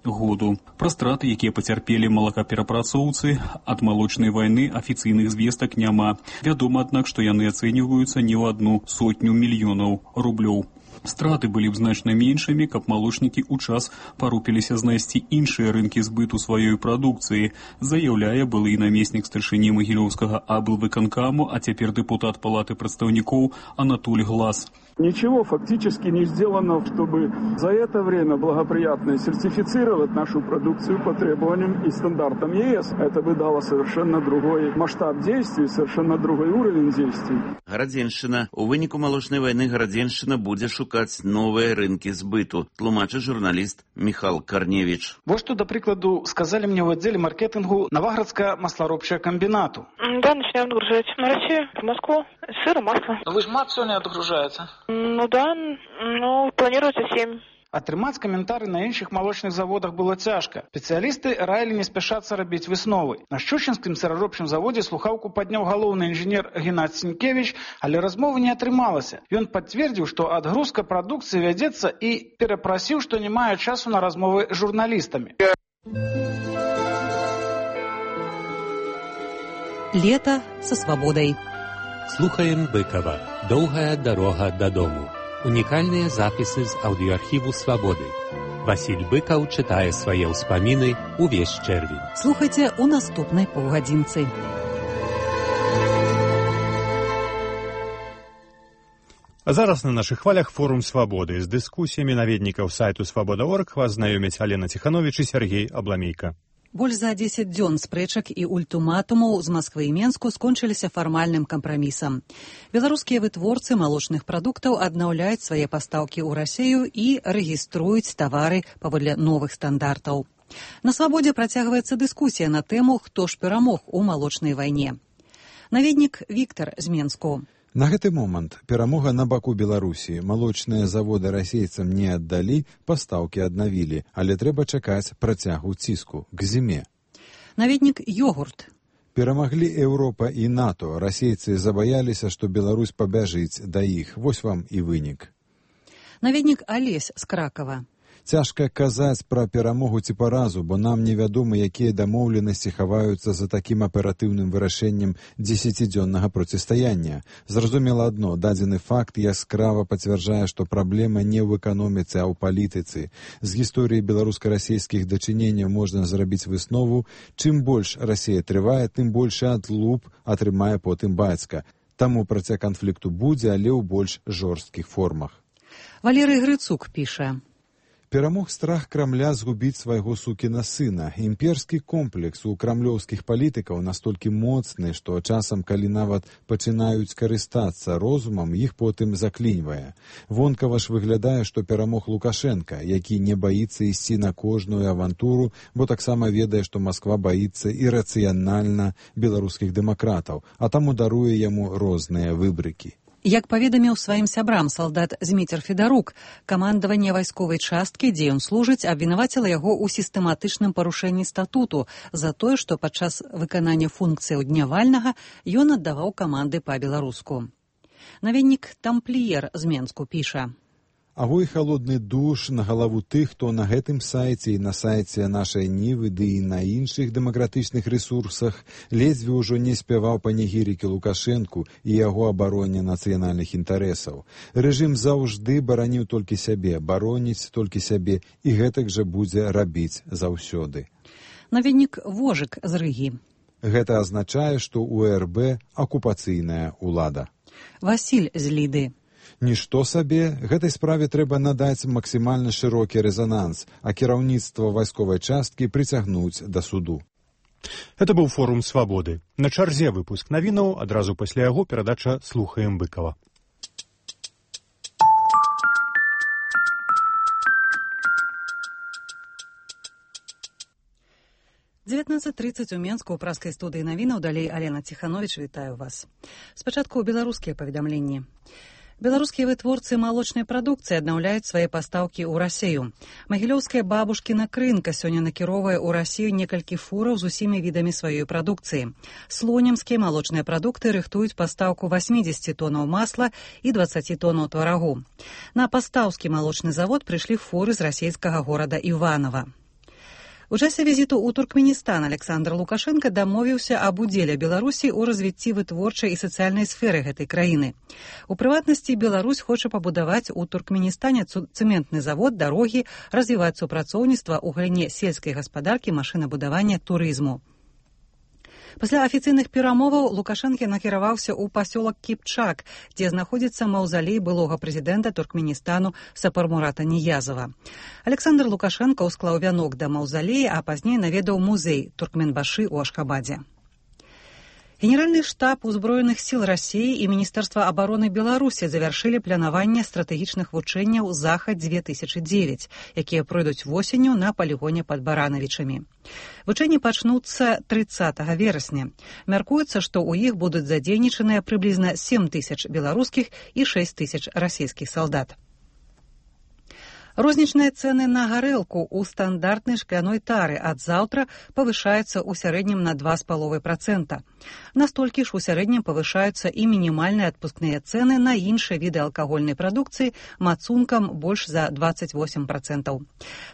году. Пра страты, якія пацярпелі малакаперапрацоўцы ад малочнай вайны, афіцыйных звестак няма. Вядома, аднак, што яны ацэньваюцца не ў 100 мільёнаў рублёў. Страты былі б значна меншымі, каб малочнікі ў час парупіліся знайсці іншыя рынкі збыту сваёй прадукцыі, заяўляе былы намеснік старшыні Магілёўскага аблвыканкаму, а цяпер дэпутат Палаты прадстаўнікоў Анатоль Глас. Ничего фактически не сделано, чтобы за это время благоприятно сертифицировать нашу продукцию по требованиям и стандартам ЕС. Это бы дало совершенно другой масштаб действий, совершенно другой уровень действий. Гарадзеншчына. У выніку малочнай вайны Гарадзеншчына будзе шукаць новыя рынкі збыту, тлумачыць журналіст Михал Карневич. Вот что, до прикладу, сказали мне в отделе маркетингу Новоградско-маслоробчего комбината. Да, начинаем отгружать на Россию, в Москву, сыр и масло. Вы же мат сегодня отгружаете? Ну да, планируется 7. Атрымаць каментары на іншых малочных заводах было цяжка. Спецыялісты раілі не спяшацца рабіць высновы. На Шчучынскім сыраробчым заводзе слухаўку падняў галоўны інжынер Геннадзь Сінкевіч, але размовы не атрымалася. Ён пацвердзіў, што адгрузка прадукцыі вядзецца і перапрасіў, што не мае часу на размовы з журналістамі. Лето со свободой. Слухаем Быкова. Доўгая дарога дадому. Унікальныя запісы з аўдыоархіву «Свабоды». Васіль Быкаў чытае свае ўспаміны ўвесь чэрвень. Слухайце ў наступнай паўгадзінцы. А зараз на нашых хвалях форум «Свабоды». З дыскусіямі наведнікаў сайту «Свабода.орг» вас знаёмяць Алена Ціхановіч і Сергей Абламейка. Больш за 10 дзён спрэчак і ультыматумаў з Масквы і Менску скончыліся фармальным кампрамісам. Беларускія вытворцы малочных прадуктаў аднаўляюць свае пастаўкі ў Расею і рэгіструюць тавары паводле новых стандартаў. На «Свабодзе» працягваецца дыскусія на тэму, хто ж перамог у малочнай вайне. Наведнік Віктар з Менску. На гэты момант перамога на баку Беларусі. Малочныя заводы расейцам не аддалі, пастаўкі аднавілі, але трэба чакаць працягу ціску к зіме. Наведнік Йогурт. Перамаглі Еўропа і НАТО. Расейцы забаяліся, што Беларусь пабяжыць да іх. Вось вам і вынік. Наведнік Алесь з Кракава. Цяжка казаць пра перамогу ці паразу, бо нам невядома, якія дамоўленасці хаваюцца за такім аператыўным вырашэннем 10-дзённага процістаяння. Зразумела адно, дадзены факт яскрава пацвярджае, што праблема не ў эканоміцы, а ў палітыцы. З гісторыі беларуска-расейскіх дачыненняў можна зрабіць выснову, чым больш Расія трывае, тым большы адлуп атрымае потым бацька. Таму працяг канфлікту будзе, але ў больш жорсткіх формах. Валерый Грыцук піша. Перамог страх Крамля згубіць свайго сукіна сына. Імперскі комплекс у крамлёўскіх палітыкаў настолькі моцны, што часам, калі нават пачынаюць карыстацца розумам, іх потым закліньвае. Вонкава ж выглядае, што перамог Лукашенка, які не баіцца ісці на кожную авантуру, бо таксама ведае, што Масква баіцца ірацыянальна беларускіх дэмакратаў, а таму даруе яму розныя выбрыкі. Як паведаміў сваім сябрам салдат Зміцер Федарук, камандаванне вайсковай часткі, дзе ён служыць, абвінаваціла яго ў сістэматычным парушэнні статуту за тое, што падчас выканання функцыяў дня вальнага ён аддаваў каманды па-беларуску. Наведнік «Тампліер» з Менску піша. Агой халодны душ на галаву тых, хто на гэтым сайце і на сайце нашай Нівы, ды і на іншых дэмакратычных рэсурсах ледзьве ўжо не спяваў панегірыкі Лукашэнку і яго абароне нацыянальных інтарэсаў. Рэжым заўжды бараніў толькі сябе, бароніць толькі сябе, і гэтак жа будзе рабіць заўсёды. Наведнік Вожык з Рыгі. Гэта азначае, што ў РБ акупацыйная ўлада. Васіль з Ліды. Нішто сабе, гэтай справе трэба надаць максімальна шырокі рэзананс, а кіраўніцтва вайсковай часткі прыцягнуць да суду. Это быў форум «Свабоды». На чарзе выпуск навінаў, адразу пасля яго перадача «Слухаем Быкава». «19:30 у Менску ў праскай студыі навінаў, далей Алена Ціхановіч, вітаю вас. Спачатку беларускія паведамленні. Беларускія вытворцы малочнай прадукцыі аднаўляюць свае пастаўкі ў Расею. Магілёўская бабушкіна крынка сёння накіроўвае ў Расею некалькі фураў з усімі відамі сваёй прадукцыі. Слонімскія малочныя прадукты рыхтуюць пастаўку 80 тонаў масла і 20 тонаў тварагу. На пастаўскі малочны завод прыйшлі фуры з расейскага горада Іванова. У часе візіту ў Туркменістан Александр Лукашенко дамовіўся аб удзеле Беларусі ў развіцці вытворчай і сацыяльнай сферы гэтай краіны. У прыватнасці, Беларусь хоча пабудаваць у Туркменістане цэментны завод, дарогі, развіваць супрацоўніцтва ў галіне сельскай гаспадаркі, машынабудавання, турызму. Пасля афіцыйных перамоваў Лукашенко накіраваўся ў пасёлак Кіпчак, дзе знаходзіцца маўзалей былога прэзідэнта Туркменістану Сапармурата Ниязова. Александр Лукашенко ўсклаў вянок да маўзалея, а пазней наведаў музей Туркменбашы ў Ашхабадзе. Генеральны штаб узброеных сіл Расіі і Міністэрства абароны Беларусі завяршылі планаванне стратэгічных вучэнняў «Захад-2009», якія пройдуць восенню на палігоне пад Баранавічамі. Вучэнні пачнуцца 30 верасня. Мяркуецца, што ў іх будуць задзейнічаныя прыблізна 7 000 беларускіх і 6 000 расійскіх салдат. Рознічныя цэны на гарэлку ў стандартнай шкляной тары ад заўтра павышаюцца ў сярэднім на 2,5%. Настолькі ж у сярэднім павышаюцца і мінімальныя адпускныя цэны на іншыя віды алкагольнай прадукцыі мацункам больш за 28%.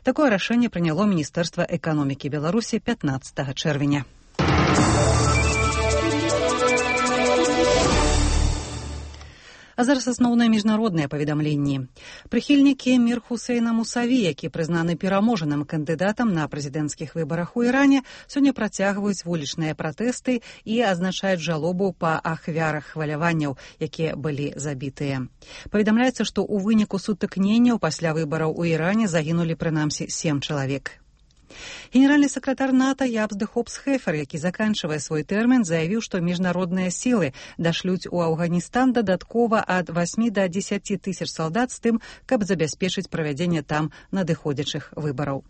Такое рашэнне прыняло Міністэрства эканомікі Беларусі 15 чэрвеня. А зараз асноўныя міжнародныя паведамленні. Прыхільнікі Мір Хусейна Мусаві, які прызнаны пераможаным кандыдатам на прэзідэнцкіх выбарах у Іране, сёння працягваюць вулічныя пратэсты і азначаюць жалобу па ахвярах хваляванняў, якія былі забітыя. Паведамляецца, што ў выніку сутыкненняў пасля выбараў у Іране загінулі прынамсі 7 чалавек. Генеральны сакратар НАТО Ябс де Хопс-Хефер, які заканчвае свой тэрмін, заявіў, што міжнародныя сілы дашлюць у Афганістан дадаткова ад 8 до 10 тысяч салдат з тым, каб забяспечыць правядзенне там надыходзячых выбараў.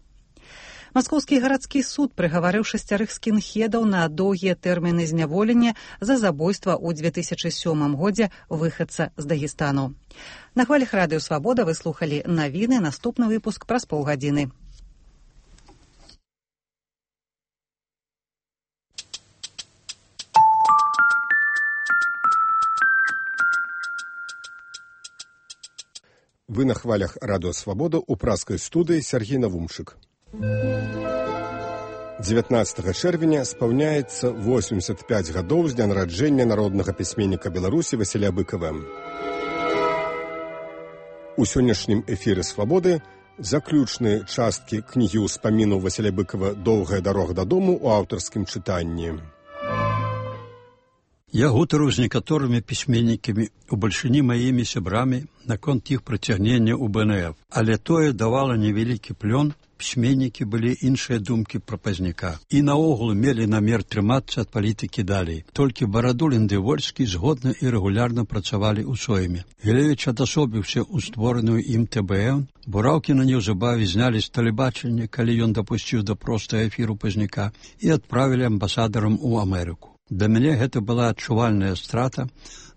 Маскоўскі гарадскі суд прыгаварыў 6 скінхедаў на доўгія тэрміны зняволення за забойства ў 2007 годзе выхадца з Дагестану. На хвалях радыё «Свабода» вы слухалі навіны, наступны выпуск праз паўгадзіны. Вы на хвалях радыё «Свабода» у праскай студыі Сергей Навумчык. 19 чэрвеня спаўняецца 85 гадоў з дня нараджэння народнага пісьменніка Беларусі Васіля Быкава. У сённяшнім эфіры «Свабоды» заключныя часткі кнігі ўспамінаў Васіля Быкава «Доўгая дарога дадому» у аўтарскім чытанні. Я гутарыў з некаторымі пісьменнікамі у бальшыні маімі сябрамі наконт іх прыцягнення ў БНФ, але тое давала невялікі плён, пісьменнікі былі іншыя думкі пра пазняка. І наогул мелі намер трымацца ад палітыкі далей. Толькі Барадулін ды Вольскі згодна і рэгулярна працавалі ў сойме. Гілевіч адасобіўся ў створаную ім ТБН, Бураўкіна неўзабаве знялі з тэлебачання, калі ён дапусціў да простага эфіру пазняка, і адправілі амбасадарам у Амерыку. Для мяне гэта была адчувальная страта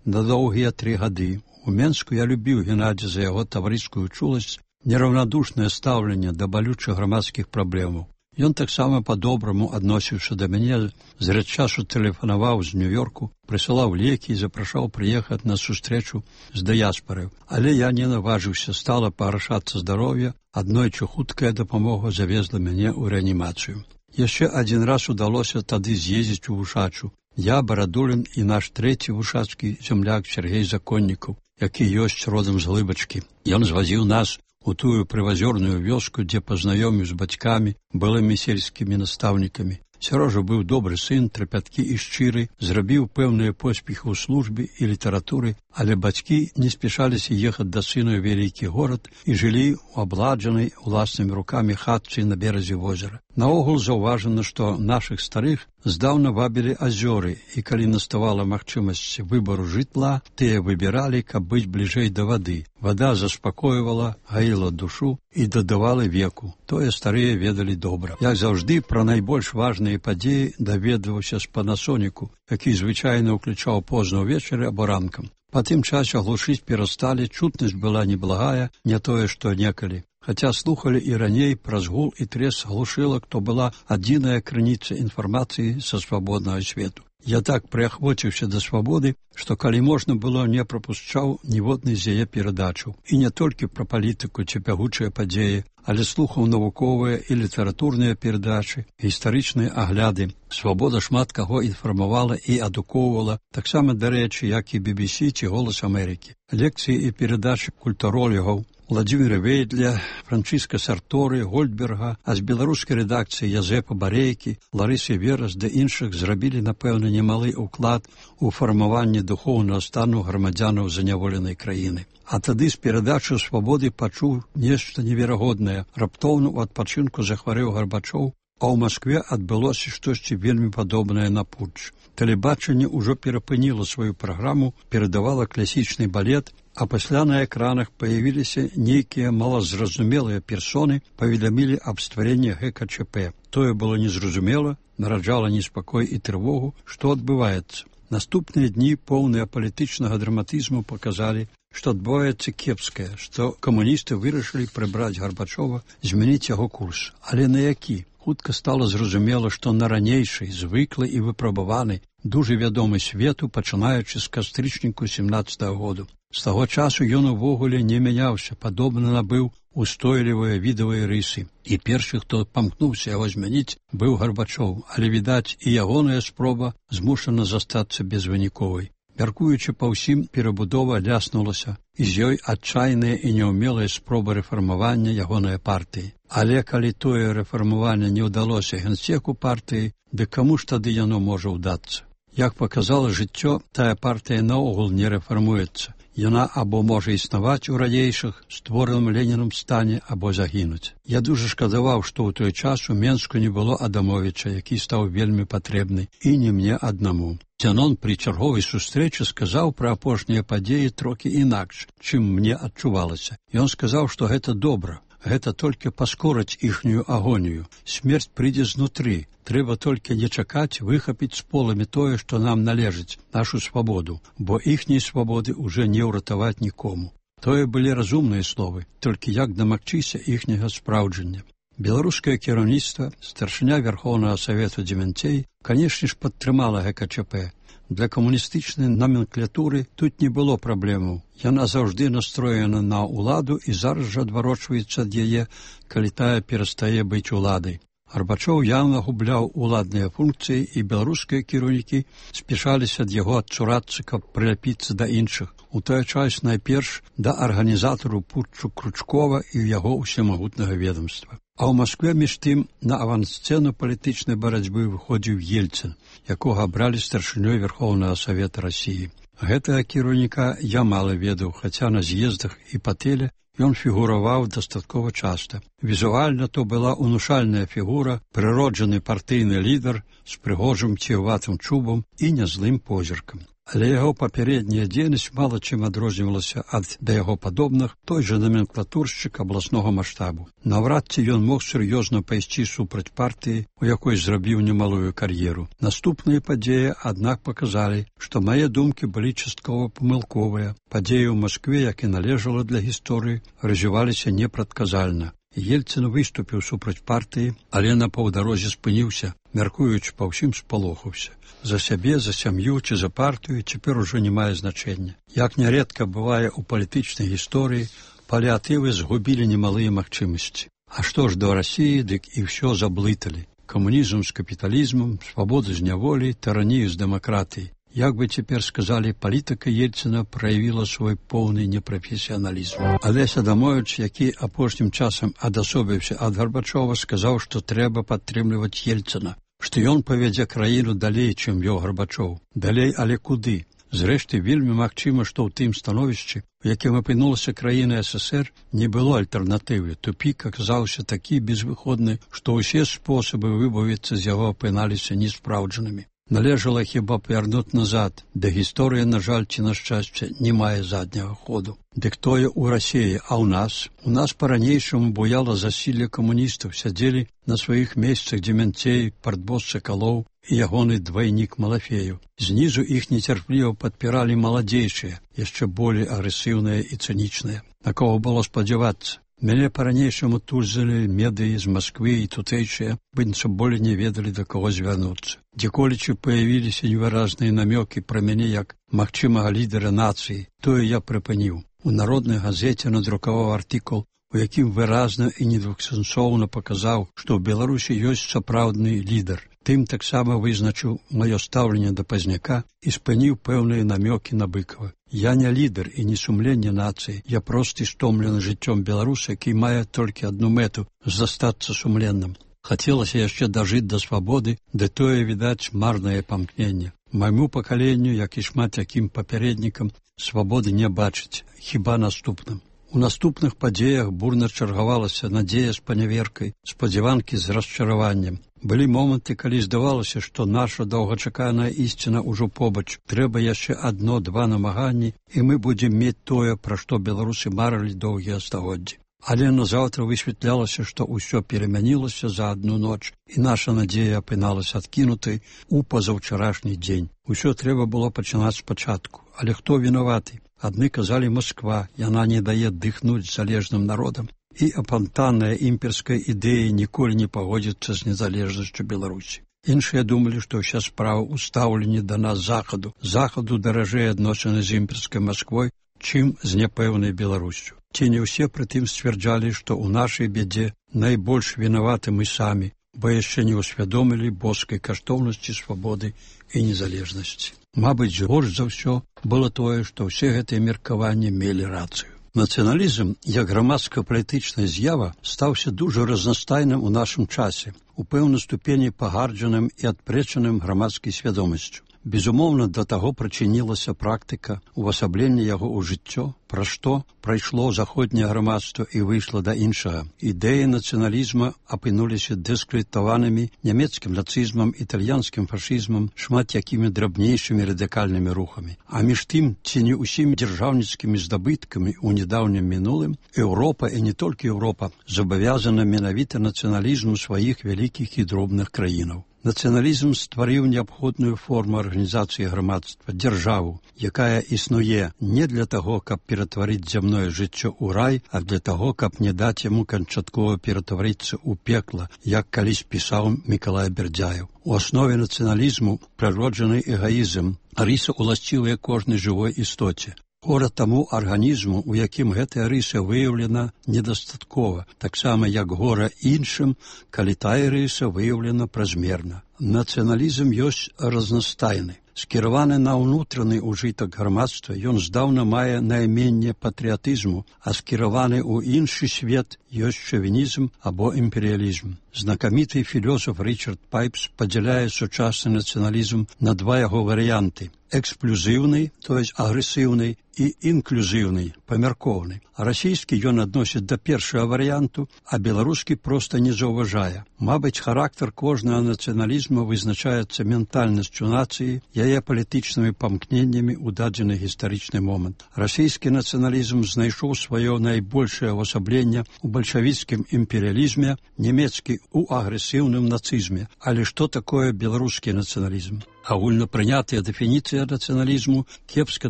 на доўгія 3 гады. У Менску я любіў Геннадзя за яго таварыскую чуласць, нераўнадушнае стаўленне да балючых грамадскіх праблемаў. Ён таксама па-добраму адносіўся да мяне, зрэд часу тэлефанаваў з Нью-Йорку, прысылаў лекі і запрашаў прыехаць на сустрэчу з дыяспарай. Але я не наважыўся, стала пагаршацца здароўе, аднойчы хуткая дапамога завезла мяне ў рэанімацыю. Яшчэ адзін раз удалося тады з'ездзіць у Вушачу. Я, Барадулін і наш трэці вушацкі зямляк Сергей Законнікаў, які ёсць родам з Глыбачкі. Ён звазіў нас у тую прывазёрную вёску, дзе пазнаёміў з бацькамі, былымі сельскімі настаўнікамі. Сярожа быў добры сын, трапяткі і шчыры, зрабіў пэўныя поспехі ў службе і літаратуры, але бацькі не спяшаліся ехаць да сына ў вялікі горад і жылі ў абладжанай уласнымі рукамі хатцы на беразе возера. Наогул заўважана, што нашых старых здаўна вабілі азёры, і калі наставала магчымасць выбару жытла, тыя выбіралі, каб быць бліжэй да вады. Вада заспакойвала, гаіла душу і дадавала веку. Тое старыя ведалі добра. Як заўжды, пра найбольш важныя падзеі даведваўся з панасоніку, які звычайна ўключаў позна ўвечары або ранкам. Па тым часе глушыць перасталі, чутнасць была неблагая, не тое, што некалі. Хаця слухалі і раней праз гул і трес глушылак, то была адзіная крыніца інфармацыі са свабоднага свету. Я так прыахвоціўся да свабоды, што калі можна было, не прапушчаў ніводнай з яе перадачаў. І не толькі пра палітыку ці бягучыя падзеі, але слухаў навуковыя і літаратурныя перадачы, гістарычныя агляды. Свабода шмат каго інфармавала і адукоўвала, таксама, дарэчы, як і BBC ці «Голас Амерыкі». Лекцыі і перадачы культуролігаў Владзіміра Вейдля, Франчыска Сарторы, Гольдберга, а з беларускай рэдакцыі Язэпа Барейкі, Ларысы Верас да іншых зрабілі, напэўна, немалы ўклад у фармаванне духоўнага стану грамадзянаў заняволенай краіны. А тады з перадачы «Свабоды» пачуў нешта неверагоднае. Раптоўна ў адпачынку захварэў Гарбачоў, а ў Маскве адбылося штосьці вельмі падобнае на путч. Тэлебачанне ўжо перапыніла сваю праграму, перадавала класічны балет, а пасля на экранах паявіліся нейкія малазразумелыя персоны, паведамілі аб стварэнні ГКЧП. Тое было незразумела, нараджала неспакой і трывогу, што адбываецца. Наступныя дні, поўныя палітычнага драматызму, паказалі, што адбываецца кепскае, што камуністы вырашылі прыбраць Гарбачова, змяніць яго курс. Але на які? Хутка стала зразумела, што на ранейшай, звыклы і выпрабаваны, дужа вядомы свету, пачынаючы з кастрычніку 17-го году. З таго часу ён увогуле не мяняўся, падобна набыў устойлівыя відавыя рысы. І першы, хто памкнуўся яго змяніць, быў Гарбачоў, але, відаць, і ягоная спроба змушана застацца безвыніковай. Мяркуючы па ўсім, перабудова ляснулася, і з ёй адчайная і няўмелая спроба рэфармавання ягонай партыі. Але калі тое рэфармаванне не ўдалося генсеку партыі, дык каму ж тады яно можа ўдацца? Як паказала жыццё, тая партыя наогул не рэфармуецца. Яна або можа існаваць у ранейшых, створаным Ленінам стане, або загінуць. Я дужа шкадаваў, што ў той час у Менску не было Адамовіча, які стаў вельмі патрэбны, і не мне аднаму. Зянон пры чарговай сустрэчы сказаў пра апошнія падзеі трохі інакш, чым мне адчувалася. Ён сказаў, што гэта добра. Гэта толькі паскорыць іхнюю агонію. Смерць прыйдзе знутры. Трэба толькі не чакаць выхапіць з поламі тое, што нам належыць, нашу свабоду, бо іхняй свабоды ўжо не ўратаваць нікому. Тое былі разумныя словы, толькі як дамагчыся іхняга спраўджання. Беларускае кіраўніцтва, старшыня Верхоўнага Савету Дзевянцей, канешне ж, падтрымала ГКЧП. Для камуністычнай номенклатуры тут не было праблемаў. Яна заўжды настроена на ўладу і зараз жа адварочваецца ад яе, калі тая перастае быць уладай. Гарбачоў яўна губляў уладныя функцыі, і беларускія кіраўнікі спяшаліся ад яго адчурацца, каб прыляпіцца да іншых. У той час найперш да арганізатару путчу Кручкова і яго ўсемагутнага ведомства. А ў Маскве між тым на авансцэну палітычнай барацьбы выходзіў Ельцын, якога абралі старшынёй Верхоўнага Савета Расіі. Гэтага кіраўніка я мала ведаў, хаця на з'ездах і па тэле ён фігураваў дастаткова часта. Візуальна то была унушальная фігура, прыроджаны партыйны лідар з прыгожым ціўватым чубам і нязлым позіркам. Але яго папярэдняя дзейнасць мала чым адрознівалася ад да яго падобных той жа номенклатуршчык абласнога маштабу. Наўрад ці ён мог сур'ёзна пайсці супраць партыі, у якой зрабіў немалую кар'еру. Наступныя падзеі, аднак, паказалі, што мае думкі былі часткова памылковыя. Падзеі ў Маскве, як і належала для гісторыі, развіваліся непрадказальна. Ельцын выступіў супраць партыі, але на паўдарозе спыніўся, мяркуючы па ўсім спалохаўся. За сябе, за сям'ю ці за партыю цяпер ужо не мае значэння. Як нярэдка бывае ў палітычнай гісторыі, паліатывы згубілі немалыя магчымасці. А што ж да Расіі, дык і ўсё заблыталі. Камунізм з капіталізмам, свабоду з няволі, тыранію з дэмакратыяй. Як бы цяпер сказалі, палітыка Ельцына праявіла свой поўны непрафесіяналізм. Алесь Адамовіч, які апошнім часам адасобіўся ад Гарбачова, сказаў, што трэба падтрымліваць Ельцына, што ён павядзе краіну далей, чым вёў Гарбачоў. Далей, але куды? Зрэшты, вельмі магчыма, што ў тым становішчы, у якім апынулася краіна СССР, не было альтэрнатывы. Тупік аказаўся такі безвыходны, што ўсе спосабы выбавіцца з яго апыналіся неспраўджанымі. Належала хіба павярнуць назад, да гісторыя, на жаль, ці на шчасце, не мае задняга ходу. Дык тое ў Расіі, а ў нас? У нас па-ранейшаму буяла засілле камуністаў, сядзелі на сваіх месцах Дземянцей, партбос Сакалоў і ягоны двайнік Малафею. Знізу іх нецярпліва падпіралі маладзейшыя, яшчэ болей агрэсіўныя і цынічныя. На кого было спадзявацца? Мяне па-ранейшаму тузалі медыі з Масквы і тутэйшыя, быццам болей не ведалі, да каго звярнуцца. Дзеколечы паявіліся невыразныя намёкі пра мяне як магчымага лідара нацыі, тое я прыпыніў. У народнай газеце надрукаваў артыкул, у якім выразна і недвухсэнсоўна паказаў, што ў Беларусі ёсць сапраўдны лідар. Тым таксама вызначыў маё стаўленне да Пазняка і спыніў пэўныя намёкі на Быкава. Я не лідар і не сумленне нацыі, я просты стомлены жыццём беларуса, які мае толькі адну мэту – застацца сумленным. Хацелася яшчэ дажыць да свабоды, ды тое, відаць, марнае памкненне. Майму пакаленню, як і шмат якім папярэднікам, свабоды не бачыць, хіба наступным. У наступных падзеях бурна чаргавалася надзея з паняверкай, спадзяванкі з расчараваннем. Былі моманты, калі здавалася, што наша доўгачаканая ісціна ўжо побач. Трэба яшчэ адно-два намаганні, і мы будзем мець тое, пра што беларусы марылі доўгія стагоддзі. Але назаўтра высвятлялася, што ўсё перамянілася за адну ноч, і наша надзея апыналася адкінутай у пазаўчарашні дзень. Усё трэба было пачынаць спачатку. Але хто вінаваты? Адны казалі Масква, яна не дае дыхнуць залежным народам. І апантанная імперская ідэя ніколі не пагодзіцца з незалежнасцю Беларусі. Іншыя думалі, што ўся справа ў стаўленні да нас захаду. Захаду даражэй адносіны з імперскай Масквой, чым з няпэўнай Беларусю. Ці не ўсе прытым сцвярджалі, што ў нашай бядзе найбольш вінаваты мы самі, бо яшчэ не ўсвядомілі боскай каштоўнасці свабоды і незалежнасці. Мабыць, горш за ўсё было тое, што ўсе гэтыя меркаванні мелі рацыю. Нацыяналізм, як грамадска-палітычная з'ява, стаўся дужа разнастайным у нашым часе, у пэўнай ступені пагарджаным і адпрэчаным грамадскай свядомасцю. Безумоўна, да таго прычынілася практыка увасаблення яго ў жыццё, пра што прайшло заходняе грамадства і выйшла да іншага. Ідэі нацыяналізма апынуліся дыскрэдытаванымі нямецкім нацызмам, італьянскім фашызмам, шмат якімі драбнейшымі радыкальнымі рухамі. А між тым, ці не ўсімі дзяржаўніцкімі здабыткамі ў нядаўнім мінулым, Еўропа, і не толькі Еўропа, забавязана менавіта нацыяналізму сваіх вялікіх і дробных краінаў. Нацыяналізм стварыў неабходную форму арганізацыі грамадства, дзяржаву, якая існуе не для таго, каб ператварыць зямное жыццё ў рай, а для таго, каб не даць яму канчаткова ператварыцца ў пекла, як калісь пісаў Мікалай Бердзяеў. У аснове нацыяналізму прыроджаны эгаізм, рыса уласцівая кожнай жывой істоце. Гора таму арганізму, у якім гэтая рыса выяўлена недастаткова, таксама як гора іншым, калі тая рыса выяўлена празмерна. Нацыяналізм ёсць разнастайны. Скіраваны на ўнутраны ўжытак грамадства, ён здаўна мае найменне патрыятызму, а скіраваны ў іншы свет ёсць шавінізм або імперыялізм. Знакаміты філёсаф Річард Пайпс падзяляе сучасны нацыяналізм на два яго варыянты: эксклюзіўны, то есть агрэсіўны, і інклюзіўны, памяркоўны. А расійскі ён адносіць да першага варыянту, а беларускі проста не заўважае. Мабыць, характар кожнага нацыяналізму вызначаецца ментальнасцю нацыі, яе палітычнымі памкненнямі ў дадзены гістарычны момант. Расійскі нацыяналізм знайшоў сваё найбольшае ўвасабленне ў бальшавіцкім імперыялізме, нямецкі ў агрэсіўным нацызме. Але што такое беларускі нацыяналізм? Агульнапрынятая дэфініцыя нацыяналізму кепска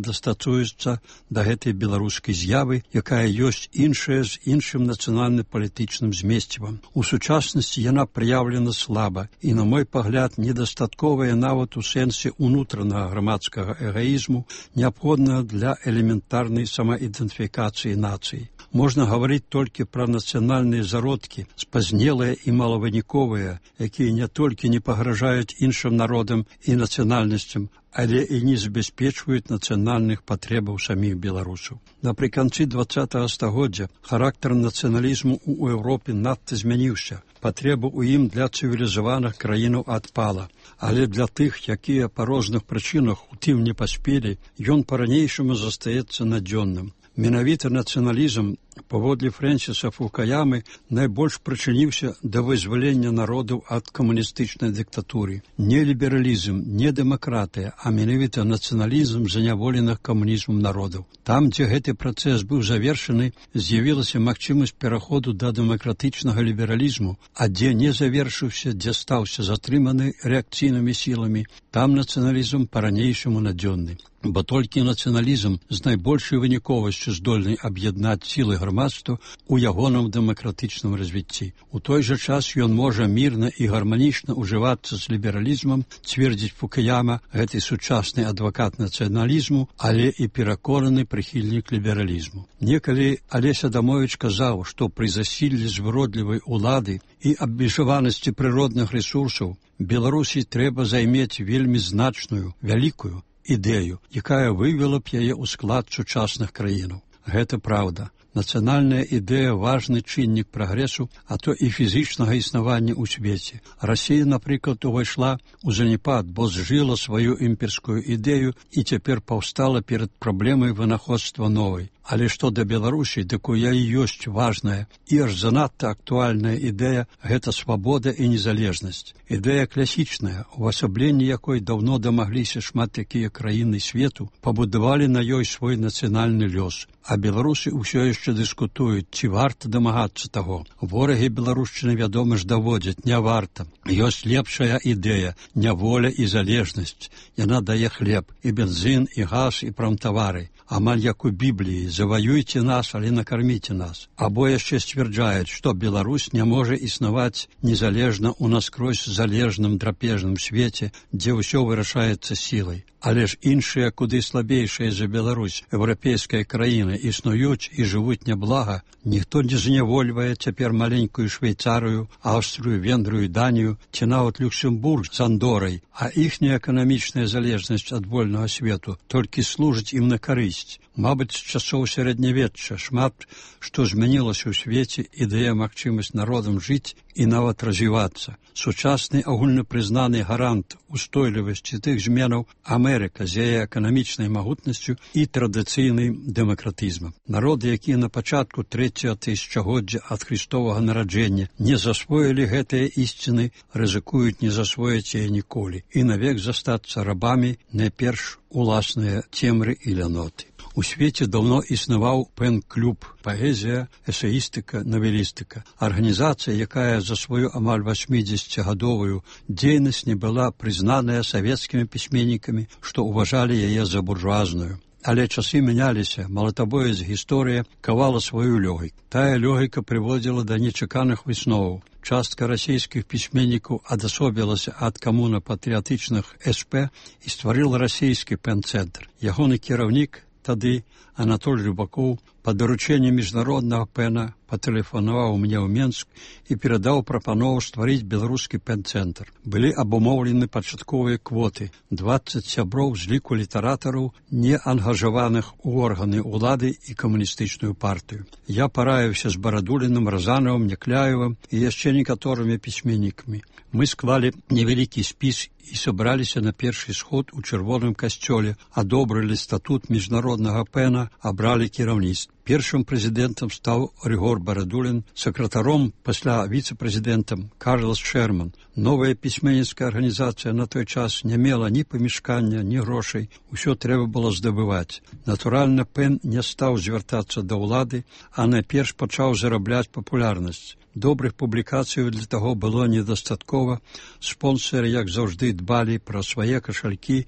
дастатуецца да гэтай беларускай з'явы, якая ёсць іншая з іншым нацыянальна-палітычным змесцівам. У сучаснасці яна праяўлена слаба і, на мой пагляд, недастатковая нават у сэнсе унутранага грамадскага эгоізму, неабходнага для элементарнай самаідэнтыфікацыі нацыі. Можна гаварыць толькі пра нацыянальныя зародкі, спазнелыя і малавыніковыя, якія не толькі не пагражаюць іншым народам і нацыянальнасцям, але і не забяспечваюць нацыянальных патрэбаў саміх беларусаў. Напрыканцы 20-го стагоддзя характар нацыяналізму ў Еўропе надта змяніўся. Патрэба ў ім для цывілізаваных краінаў адпала. Але для тых, якія па розных прычынах у тым не паспелі, ён па-ранейшаму застаецца надзённым. Менавіта нацыяналізм, паводле Фрэнсіса Фукуямы, найбольш прычыніўся да вызвалення народаў ад камуністычнай дыктатуры. Не лібералізм, не дэмакратыя, а менавіта нацыяналізм заняволеных камунізмам народаў. Там, дзе гэты працэс быў завершаны, з'явілася магчымасць пераходу да дэмакратычнага лібералізму, а дзе не завершыўся, дзе стаўся затрыманы рэакцыйнымі сіламі, там нацыяналізм па-ранейшаму надзённы. Бо толькі нацыяналізм з найбольшай выніковасцю здольны аб'яднаць сілы грамадства ў ягоным дэмакратычным развіцці. У той жа час ён можа мірна і гарманічна ўжывацца з лібералізмам, цвердзіць Фукуяма, гэты сучасны адвакат нацыяналізму, але і пераконаны прыхільнік лібералізму. Некалі Алесь Адамовіч казаў, што пры засіллі звыродлівай улады і абмежаванасці прыродных рэсурсаў Беларусі трэба займець вельмі значную, вялікую ідэю, якая вывела б яе ў склад сучасных краінаў. Гэта праўда. Нацыянальная ідэя – важны чыннік прагрэсу, а то і фізічнага існавання ў свеце. Расія, напрыклад, увайшла ў заняпад, бо зжыла сваю імперскую ідэю і цяпер паўстала перад праблемай вынаходства новай. Але што да Беларусі, дык у яе ёсць важная і аж занадта актуальная ідэя – гэта свабода і незалежнасць. Ідэя класічная, увасабленне якой даўно дамагліся шмат якія краіны свету, пабудавалі на ёй свой нацыянальны лёс. А беларусы ўсё яшчэ дыскутуюць, ці варта дамагацца таго. Ворагі беларушчыны, вядома ж, даводзяць, не варта. Ёсць лепшая ідэя – няволя і залежнасць. Яна дае хлеб, і бензін, і газ, і прамтавары. Амаль як у Бібліі, заваюйце нас, але накарміце нас. Або яшчэ сцвярджаюць, што Беларусь не можа існаваць незалежна ў наскрозь залежным драпежным свеце, дзе ўсё вырашаецца сілай. Але ж іншыя, куды слабейшыя за Беларусь, еўрапейскія краіны існуюць і жывуць няблага, ніхто не знявольвае цяпер маленькую Швейцарыю, Аўстрыю, Венгрыю, Данію ці нават Люксембург з Андорай, а іхняя эканамічная залежнасць ад вольнага свету толькі служыць ім на карысць. Мабыць, з часоў сярэднявечча шмат што змянілася ў свеце, і дае магчымасць народам жыць і нават развівацца. Сучасны агульнапрызнаны гарант устойлівасці тых зменаў Амерыка з яе эканамічнай магутнасцю і традыцыйным дэмакратызмам. Народы, якія на пачатку 3-го тысячагоддзя ад Христовага нараджэння не засвоілі гэтыя ісціны, рызыкуюць не засвоіць яе ніколі і навек застацца рабамі найперш уласныя цемры і ляноты. У свеце даўно існаваў пэн-клуб, паэзія, эсеістыка, навелістыка. Арганізацыя, якая за сваю амаль 80-гадовую дзейнасць не была прызнаная савецкімі пісьменнікамі, што ўважалі яе за буржуазную. Але часы мяняліся, малатабоец гісторыя кавала сваю лёгіку. Тая лёгіка прыводзіла да нечаканых высноваў. Частка расійскіх пісьменнікаў адасобілася ад камуна-патрыятычных СП і стварыла расійскі пэн-цэнтр. Ягоны кіраўнік тады Анатоль Рыбакоў па даручэнні міжнароднага пэна патэлефанаваў мне ў Менск і перадаў прапанову стварыць беларускі пэн-цэнтр. Былі абумоўлены пачатковыя квоты, 20 сяброў з ліку літаратараў, не ангажаваных у органы ўлады і камуністычную партыю. Я параіўся з Барадуліным, Разанавым, Някляевым і яшчэ некаторымі пісьменнікамі. Мы склалі невялікі спіс і сабраліся на першы сход у чырвоным касцёле, адобрылі статут міжнароднага пэна, абралі кіраўніцтва. Першым прэзідэнтам стаў Рыгор Барадулін, сакратаром, пасля віцэ-прэзідэнтам Карлас Шерман. Новая пісьменніцкая арганізацыя на той час не мела ні памяшкання, ні грошай, усё трэба было здабываць. Натуральна, пэн не стаў звяртацца да ўлады, а найперш пачаў зарабляць папулярнасць. Добрых публікацый для таго было недастаткова. Спонсары, як заўжды, дбалі пра свае кашалькі.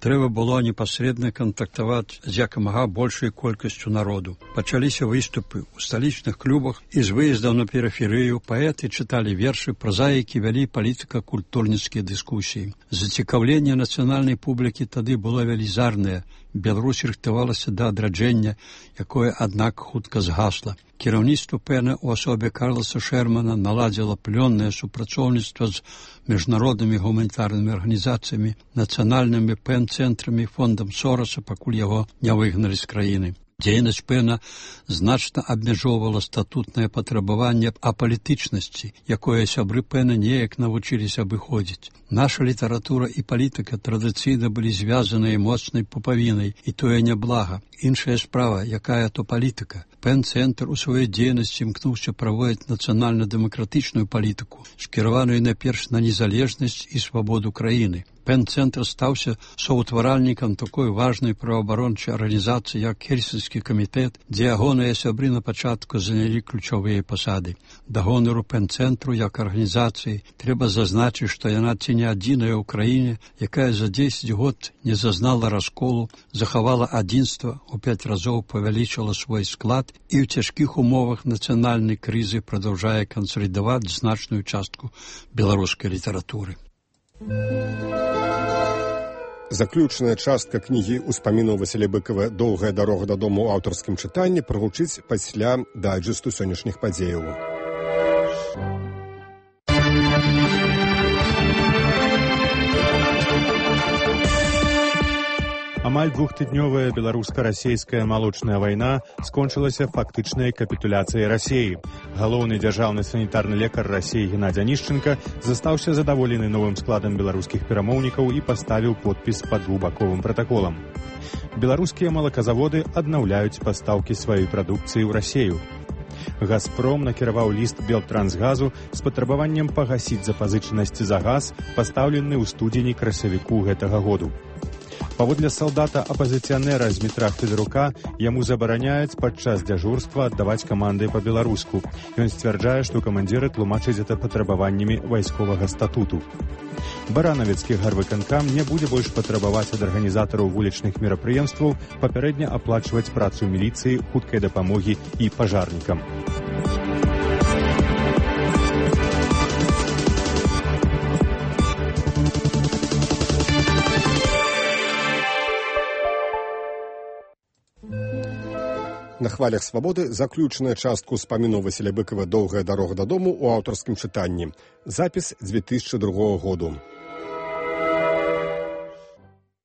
Трэба было непасрэдна кантактаваць з якамага большай колькасцю народу. Пачаліся выступы ў сталічных клубах і з выездаў на перыферыю. Паэты чыталі вершы, празаікі вялі палітыка-культурніцкія дыскусіі. Зацікаўленне нацыянальнай публікі тады было велізарнае. Беларусь рыхтавалася да адраджэння, якое, аднак, хутка згасла. Кіраўніцтва ПЭНа ў асобе Карласа Шермана наладзіла плённае супрацоўніцтва з міжнароднымі гуманітарнымі арганізацыямі, нацыянальнымі ПЭН-цэнтрамі, фондам Сораса, пакуль яго не выгналі з краіны. Дзейнасць ПЭНа значна абмяжоўвала статутнае патрабаванне апалітычнасці, якое сябры ПЭНа неяк навучыліся абыходзіць. Наша літаратура і палітыка традыцыйна былі звязаныя моцнай пупавінай, і тое няблага. Іншая справа, якая то палітыка. ПЭН-цэнтр у сваёй дзейнасці імкнуўся праводзіць нацыянальна-дэмакратычную палітыку, скіраваную найперш на незалежнасць і свабоду краіны. ПЭН-цэнтр стаўся соўтваральнікам такой важнай праваабарончай арганізацыі, як Хельсінскі камітэт, дзе ягоныя сябры на пачатку занялі ключовыя пасады. Да гонару ПЭН-цэнтру як арганізацыі трэба зазначыць, што яна ці не адзіная ў краіне, якая за 10 год не зазнала расколу, захавала адзінства, у 5 разоў павялічыла свой склад і ў цяжкіх умовах нацыянальнай крызы прадаўжае кансалідаваць значную частку беларускай літаратуры. Заключная частка кнігі ўспамінаў Васіля Быкава «Доўгая дарога дадому» ў аўтарскім чытанні прагучыць пасля дайджэсту сённяшніх падзеяў. Амаль двухтыднёвая беларуска-расейская малочная вайна скончылася фактычнай капітуляцыяй Расіі. Галоўны дзяржаўны санітарны лекар Расіі Геннадзь Анішченка застаўся задаволены новым складам беларускіх перамоўнікаў і паставіў подпіс пад двухбаковым пратаколам. Беларускія малаказаводы аднаўляюць пастаўкі сваёй прадукцыі ў Расію. «Газпром» накіраваў ліст Белтрансгазу з патрабаваннем пагасіць запазычанасці за газ, пастаўлены ў студзені-красавіку гэтага году. Паводле салдата-апазіцыянера Змітра Федарука, яму забараняюць падчас дзяжурства аддаваць каманды па-беларуску. Ён сцвярджае, што камандзіры тлумачаць гэта патрабаваннямі вайсковага статуту. Баранавіцкі гарвыканкам не будзе больш патрабаваць ад арганізатараў вулічных мерапрыемстваў папярэдне аплачваць працу міліцыі, хуткай дапамогі і пажарнікам. На хвалях свабоды заключная частка ўспамінаў Васіля Быкава «Доўгая дарога дадому» ў аўтарскім чытанні. Запіс 2002 году.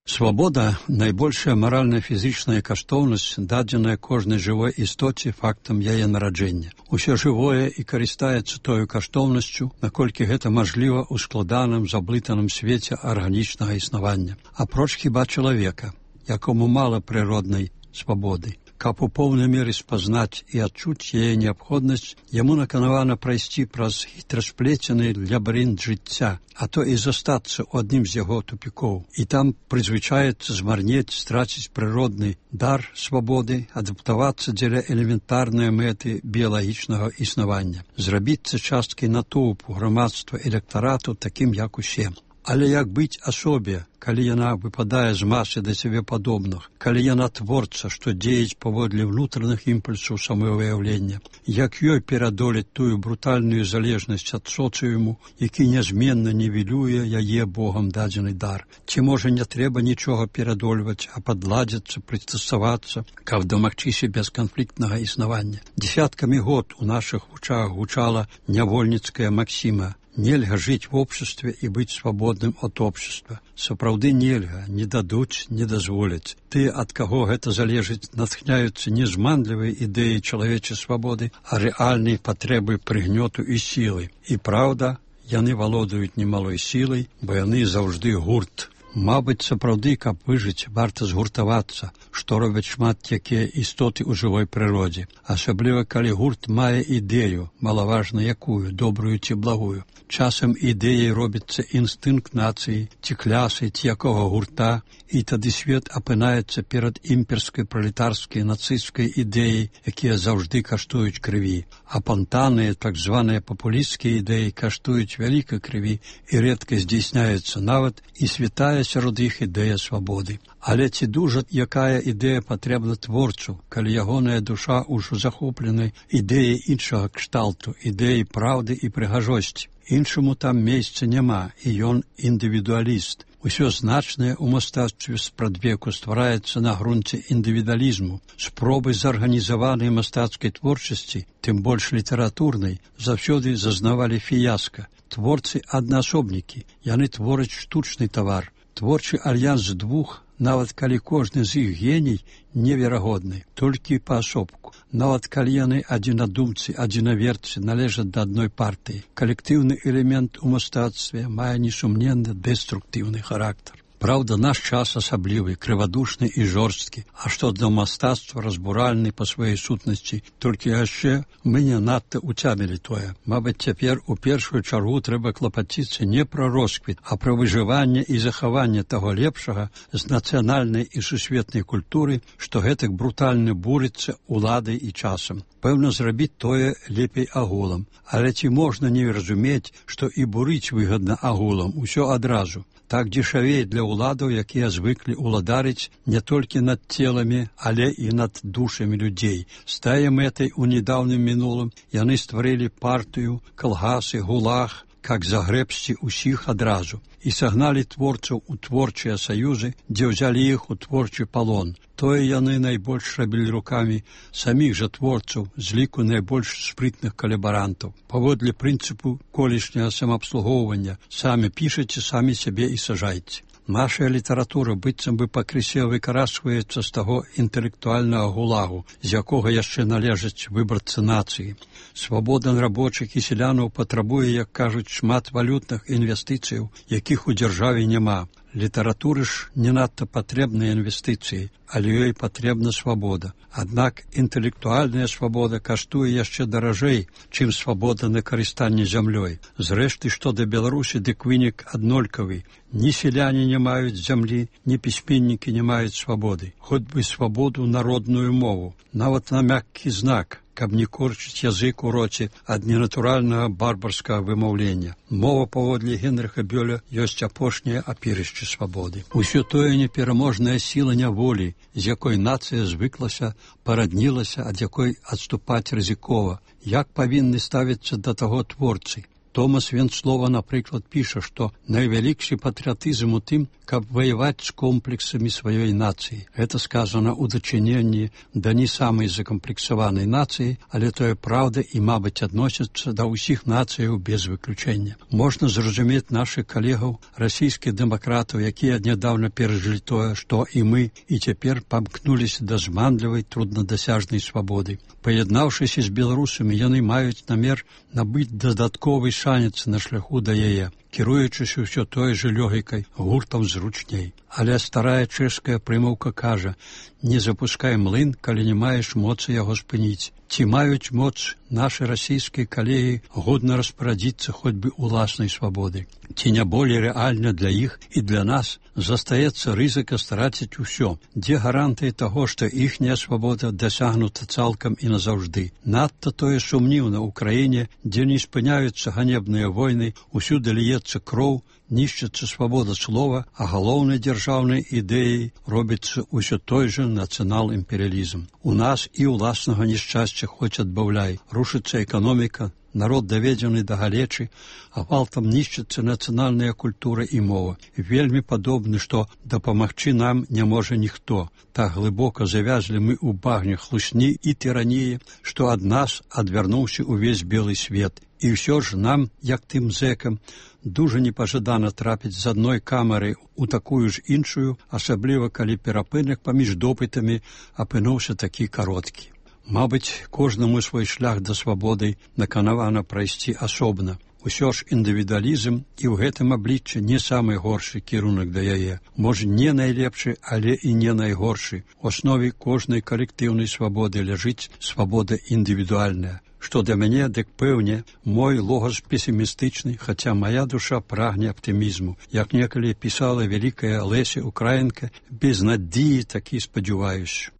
Свабода – найбольшая маральна-фізічная каштоўнасць, дадзеная кожнай жывой істоце фактам яе нараджэння. Усё жывое і карыстаецца тою каштоўнасцю, наколькі гэта мажліва ў складаным, заблытаным свеце арганічнага існавання. Апроч хіба чалавека, якому мала прыроднай свабоды. Каб у поўнай меры спазнаць і адчуць яе неабходнасць, яму наканавана прайсці праз хітрасплецены лабірынт жыцця, а то і застацца ў адным з яго тупікоў. І там прызвычаецца змарнець, страціць прыродны дар свабоды, адаптавацца дзеля элементарнай мэты біялагічнага існавання, зрабіцца часткай натоўпу, грамадства, электарату, такім як усе. Але як быць асобе, калі яна выпадае з масы да сябе падобных, калі яна творца, што дзеяць паводле ўнутраных імпульсаў самавыяўлення, як ёй перадолець тую брутальную залежнасць ад соцыуму, які нязменна нівелюе яе Богам дадзены дар. Ці можа не трэба нічога перадольваць, а падладзіцца, прыстасавацца, каб дамагчыся бесканфліктнага існавання. Дзесяткамі год у нашых вучах гучала нявольніцкая максіма: нельга жыць в обществе і быць свабодным ад общества. Сапраўды нельга, не дадуць, не дазволяць. Ты, ад каго гэта залежыць, натхняюцца не зманлівай ідэі чалавечай свабоды, а рэальнай патрэбы прыгнёту і сілы. І праўда, яны валодаюць немалой сілай, бо яны заўжды гурт. Мабыць, сапраўды, каб выжыць, варта згуртавацца, што робяць шмат якія істоты ў жывой прыродзе. Асабліва, калі гурт мае ідэю, малаважна якую, добрую ці благую. Часам ідэяй робіцца інстынкт нацыі, ці клясы, ці якога гурта, і тады свет апынаецца перад імперскай, пралетарскай, нацысцкай ідэяй, якія заўжды каштуюць крыві. А пантаныя, так званыя папулісцкія ідэі каштуюць вялікай крыві і рэдка здзейсняюцца нават і святая сярод іх ідэя свабоды. Але ці дужа якая ідэя патрэбна творцу, калі ягоная душа ўжо захопленай ідэяй іншага кшталту, ідэяй праўды і прыгажосці. Іншаму там месца няма, і ён індывідуаліст. Усё значнае ў мастацтве спрадвеку ствараецца на грунце індывідуалізму. Спробы зарганізаванай мастацкай творчасці, тым больш літаратурнай, заўсёды зазнавалі фіяска. Творцы аднаасобнікі, яны твораць штучны тавар. Творчы альянс двух, нават калі кожны з іх геній, неверагодны, толькі паасобку. Нават калі яны адзінадумцы, адзінаверцы належаць да адной партыі. Калектыўны элемент у мастацтве мае несумненна дэструктыўны характар. Праўда, наш час асаблівы, крывадушны і жорсткі, а што да мастацтва разбуральны па сваёй сутнасці, толькі яшчэ мы не надта уцямілі тое. Мабыць, цяпер у першую чаргу трэба клапаціцца не пра росквіт, а пра выжыванне і захаванне таго лепшага з нацыянальнай і сусветнай культуры, што гэтак брутальна бурыцца уладай і часам. Пэўна, зрабіць тое лепей агулам, але ці можна не разумець, што і бурыць выгадна агулам, усё адразу. Так дзешавей для ўладаў, якія звыклі ўладарыць не толькі над целамі, але і над душамі людзей. З тае мэтай у нядаўным мінулым яны стварылі партыю, калгасы, гулаг, как загрэбсці ўсіх адразу, і сагналі творцаў у творчыя саюзы, дзе ўзялі іх у творчы палон. Тое яны найбольш рабілі рукамі саміх жа творцаў з ліку найбольш спрытных калабарантаў. Паводле прынцыпу колішняга самаабслугоўвання самі пішаце, самі сябе і сажайце. Наша літаратура быццам бы пакрысе выкарасваецца з таго інтэлектуальнага гулагу, з якога яшчэ належаць выбарцы нацыі. Свабода рабочых і селянаў патрабуе, як кажуць, шмат валютных інвестыцыяў, якіх у дзяржаве няма. Літаратуры ж не надта патрэбныя інвестыцыі, але ёй патрэбна свабода. Аднак інтэлектуальная свабода каштуе яшчэ даражэй, чым свабода на карыстанне зямлёй. Зрэшты, што да Беларусі, дык вынік аднолькавы. Ні селяне не маюць зямлі, ні пісьменнікі не маюць свабоды. Хоць бы свабоду народную мову, нават на мяккі знак, каб не корчыць язык у роце ад ненатуральнага барбарскага вымаўлення. Мова, паводле Генрыха Бёля, ёсць апошняе апірышча свабоды. Усё тое непераможная сіла няволі, з якой нацыя звыклася, параднілася, ад якой адступаць рызыкова. Як павінны ставіцца да таго творцы? Томас Венцлова, напрыклад, піша, што найвялікшы патрыятызм у тым, каб ваяваць з комплексамі сваёй нацыі. Гэта сказана ў дачыненні да не самай закамплексаванай нацыі, але тое праўда і, мабыць, адносіцца да ўсіх нацыяў без выключэння. Можна зразумець нашых калегаў, расійскіх дэмакратаў, якія нядаўна перажылі тое, што і мы, і цяпер памкнуліся да зманлівай, труднадасяжнай свабоды. Паяднаўшыся з беларусамі, яны маюць намер набыць дадатковы шанец на шляху да яе, кіруючыся ўсё той жа лёгікай, гуртам зручней. Але старая чэшская прымаўка кажа: не запускай млын, калі не маеш моцы яго спыніць. Ці маюць моц нашы расійскія калегі годна распарадзіцца хоць бы уласнай свабоды? Ці не болей рэальна для іх і для нас застаецца рызыка страціць усё? Дзе гарантыі таго, што іхняя свабода дасягнута цалкам і назаўжды? Надта тое сумніўна ў краіне, дзе не спыняюцца ганебныя войны, усюды ліецца кроў, нішчыцца свабода слова, а галоўнай дзяржаўнай ідэяй робіцца ўсё той жа нацыянал-імперыялізм. У нас і ўласнага нешчасця хоць адбаўляй. Рушыцца эканоміка, народ даведзены да галечы, а гвалтам нішчыцца нацыянальная культура і мова. Вельмі падобны, што дапамагчы нам не можа ніхто. Так глыбока завязлі мы ў багне хлусні і тыраніі, што ад нас адвярнуўся увесь белы свет. І ўсё ж нам, як тым зэкам, дужа непажадана трапіць з адной камеры у такую ж іншую, асабліва калі перапынак паміж допытамі апынуўся такі кароткі. Мабыць, кожнаму свой шлях да свабоды наканавана прайсці асобна. Усё ж індывідуалізм і ў гэтым абліччы не самы горшы кірунак да яе. Можа, не найлепшы, але і не найгоршы. У аснове кожнай калектыўнай свабоды ляжыць свабода індывідуальная. Што для мяне, дык пэўне, мой логас песімістычны, хаця мая душа прагне аптымізму. Як некалі пісала вялікая Леся Украінка, без надзеі такі спадзяваюсь.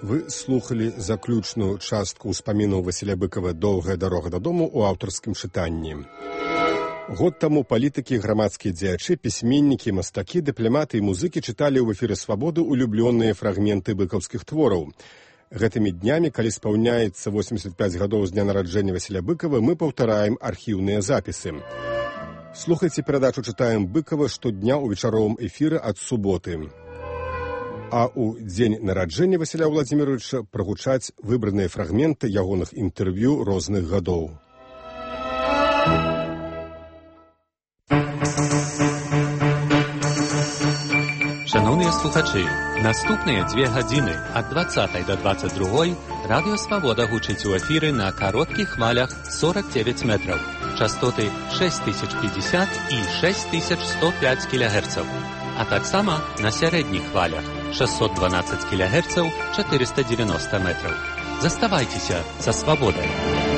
Вы слухали заключную частку ўспамінаў Васіля Быкава «Доўгая дарога дадому» у аўтарскім чытанні. Год таму палітыкі, грамадскія дзеячы, пісьменнікі, мастакі, дыпламаты і музыкі чыталі ў эфіры «Свабоды» улюблёныя фрагменты быкаўскіх твораў. Гэтымі днямі, калі спаўняецца 85 гадоў з дня нараджэння Васіля Быкава, мы паўтараем архіўныя запісы. Слухайце перадачу «Чытаем Быкава» штодня ў вечаровым эфіры ад суботы. А ў дзень нараджэння Васіля Владзіміровича прагучаць выбраныя фрагменты ягоных інтэрв'ю розных гадоў. Шановні слухачі, наступныя 2 гадзіны ад 20 до 22 Радыё Свабода гучыць у эфіры на кароткіх хвалях 49 метраў, частоты 6050 і 6105 кГц, а таксама на сярэдніх хвалях 612 кГц 490 метраў. Заставайцеся са Свабодай.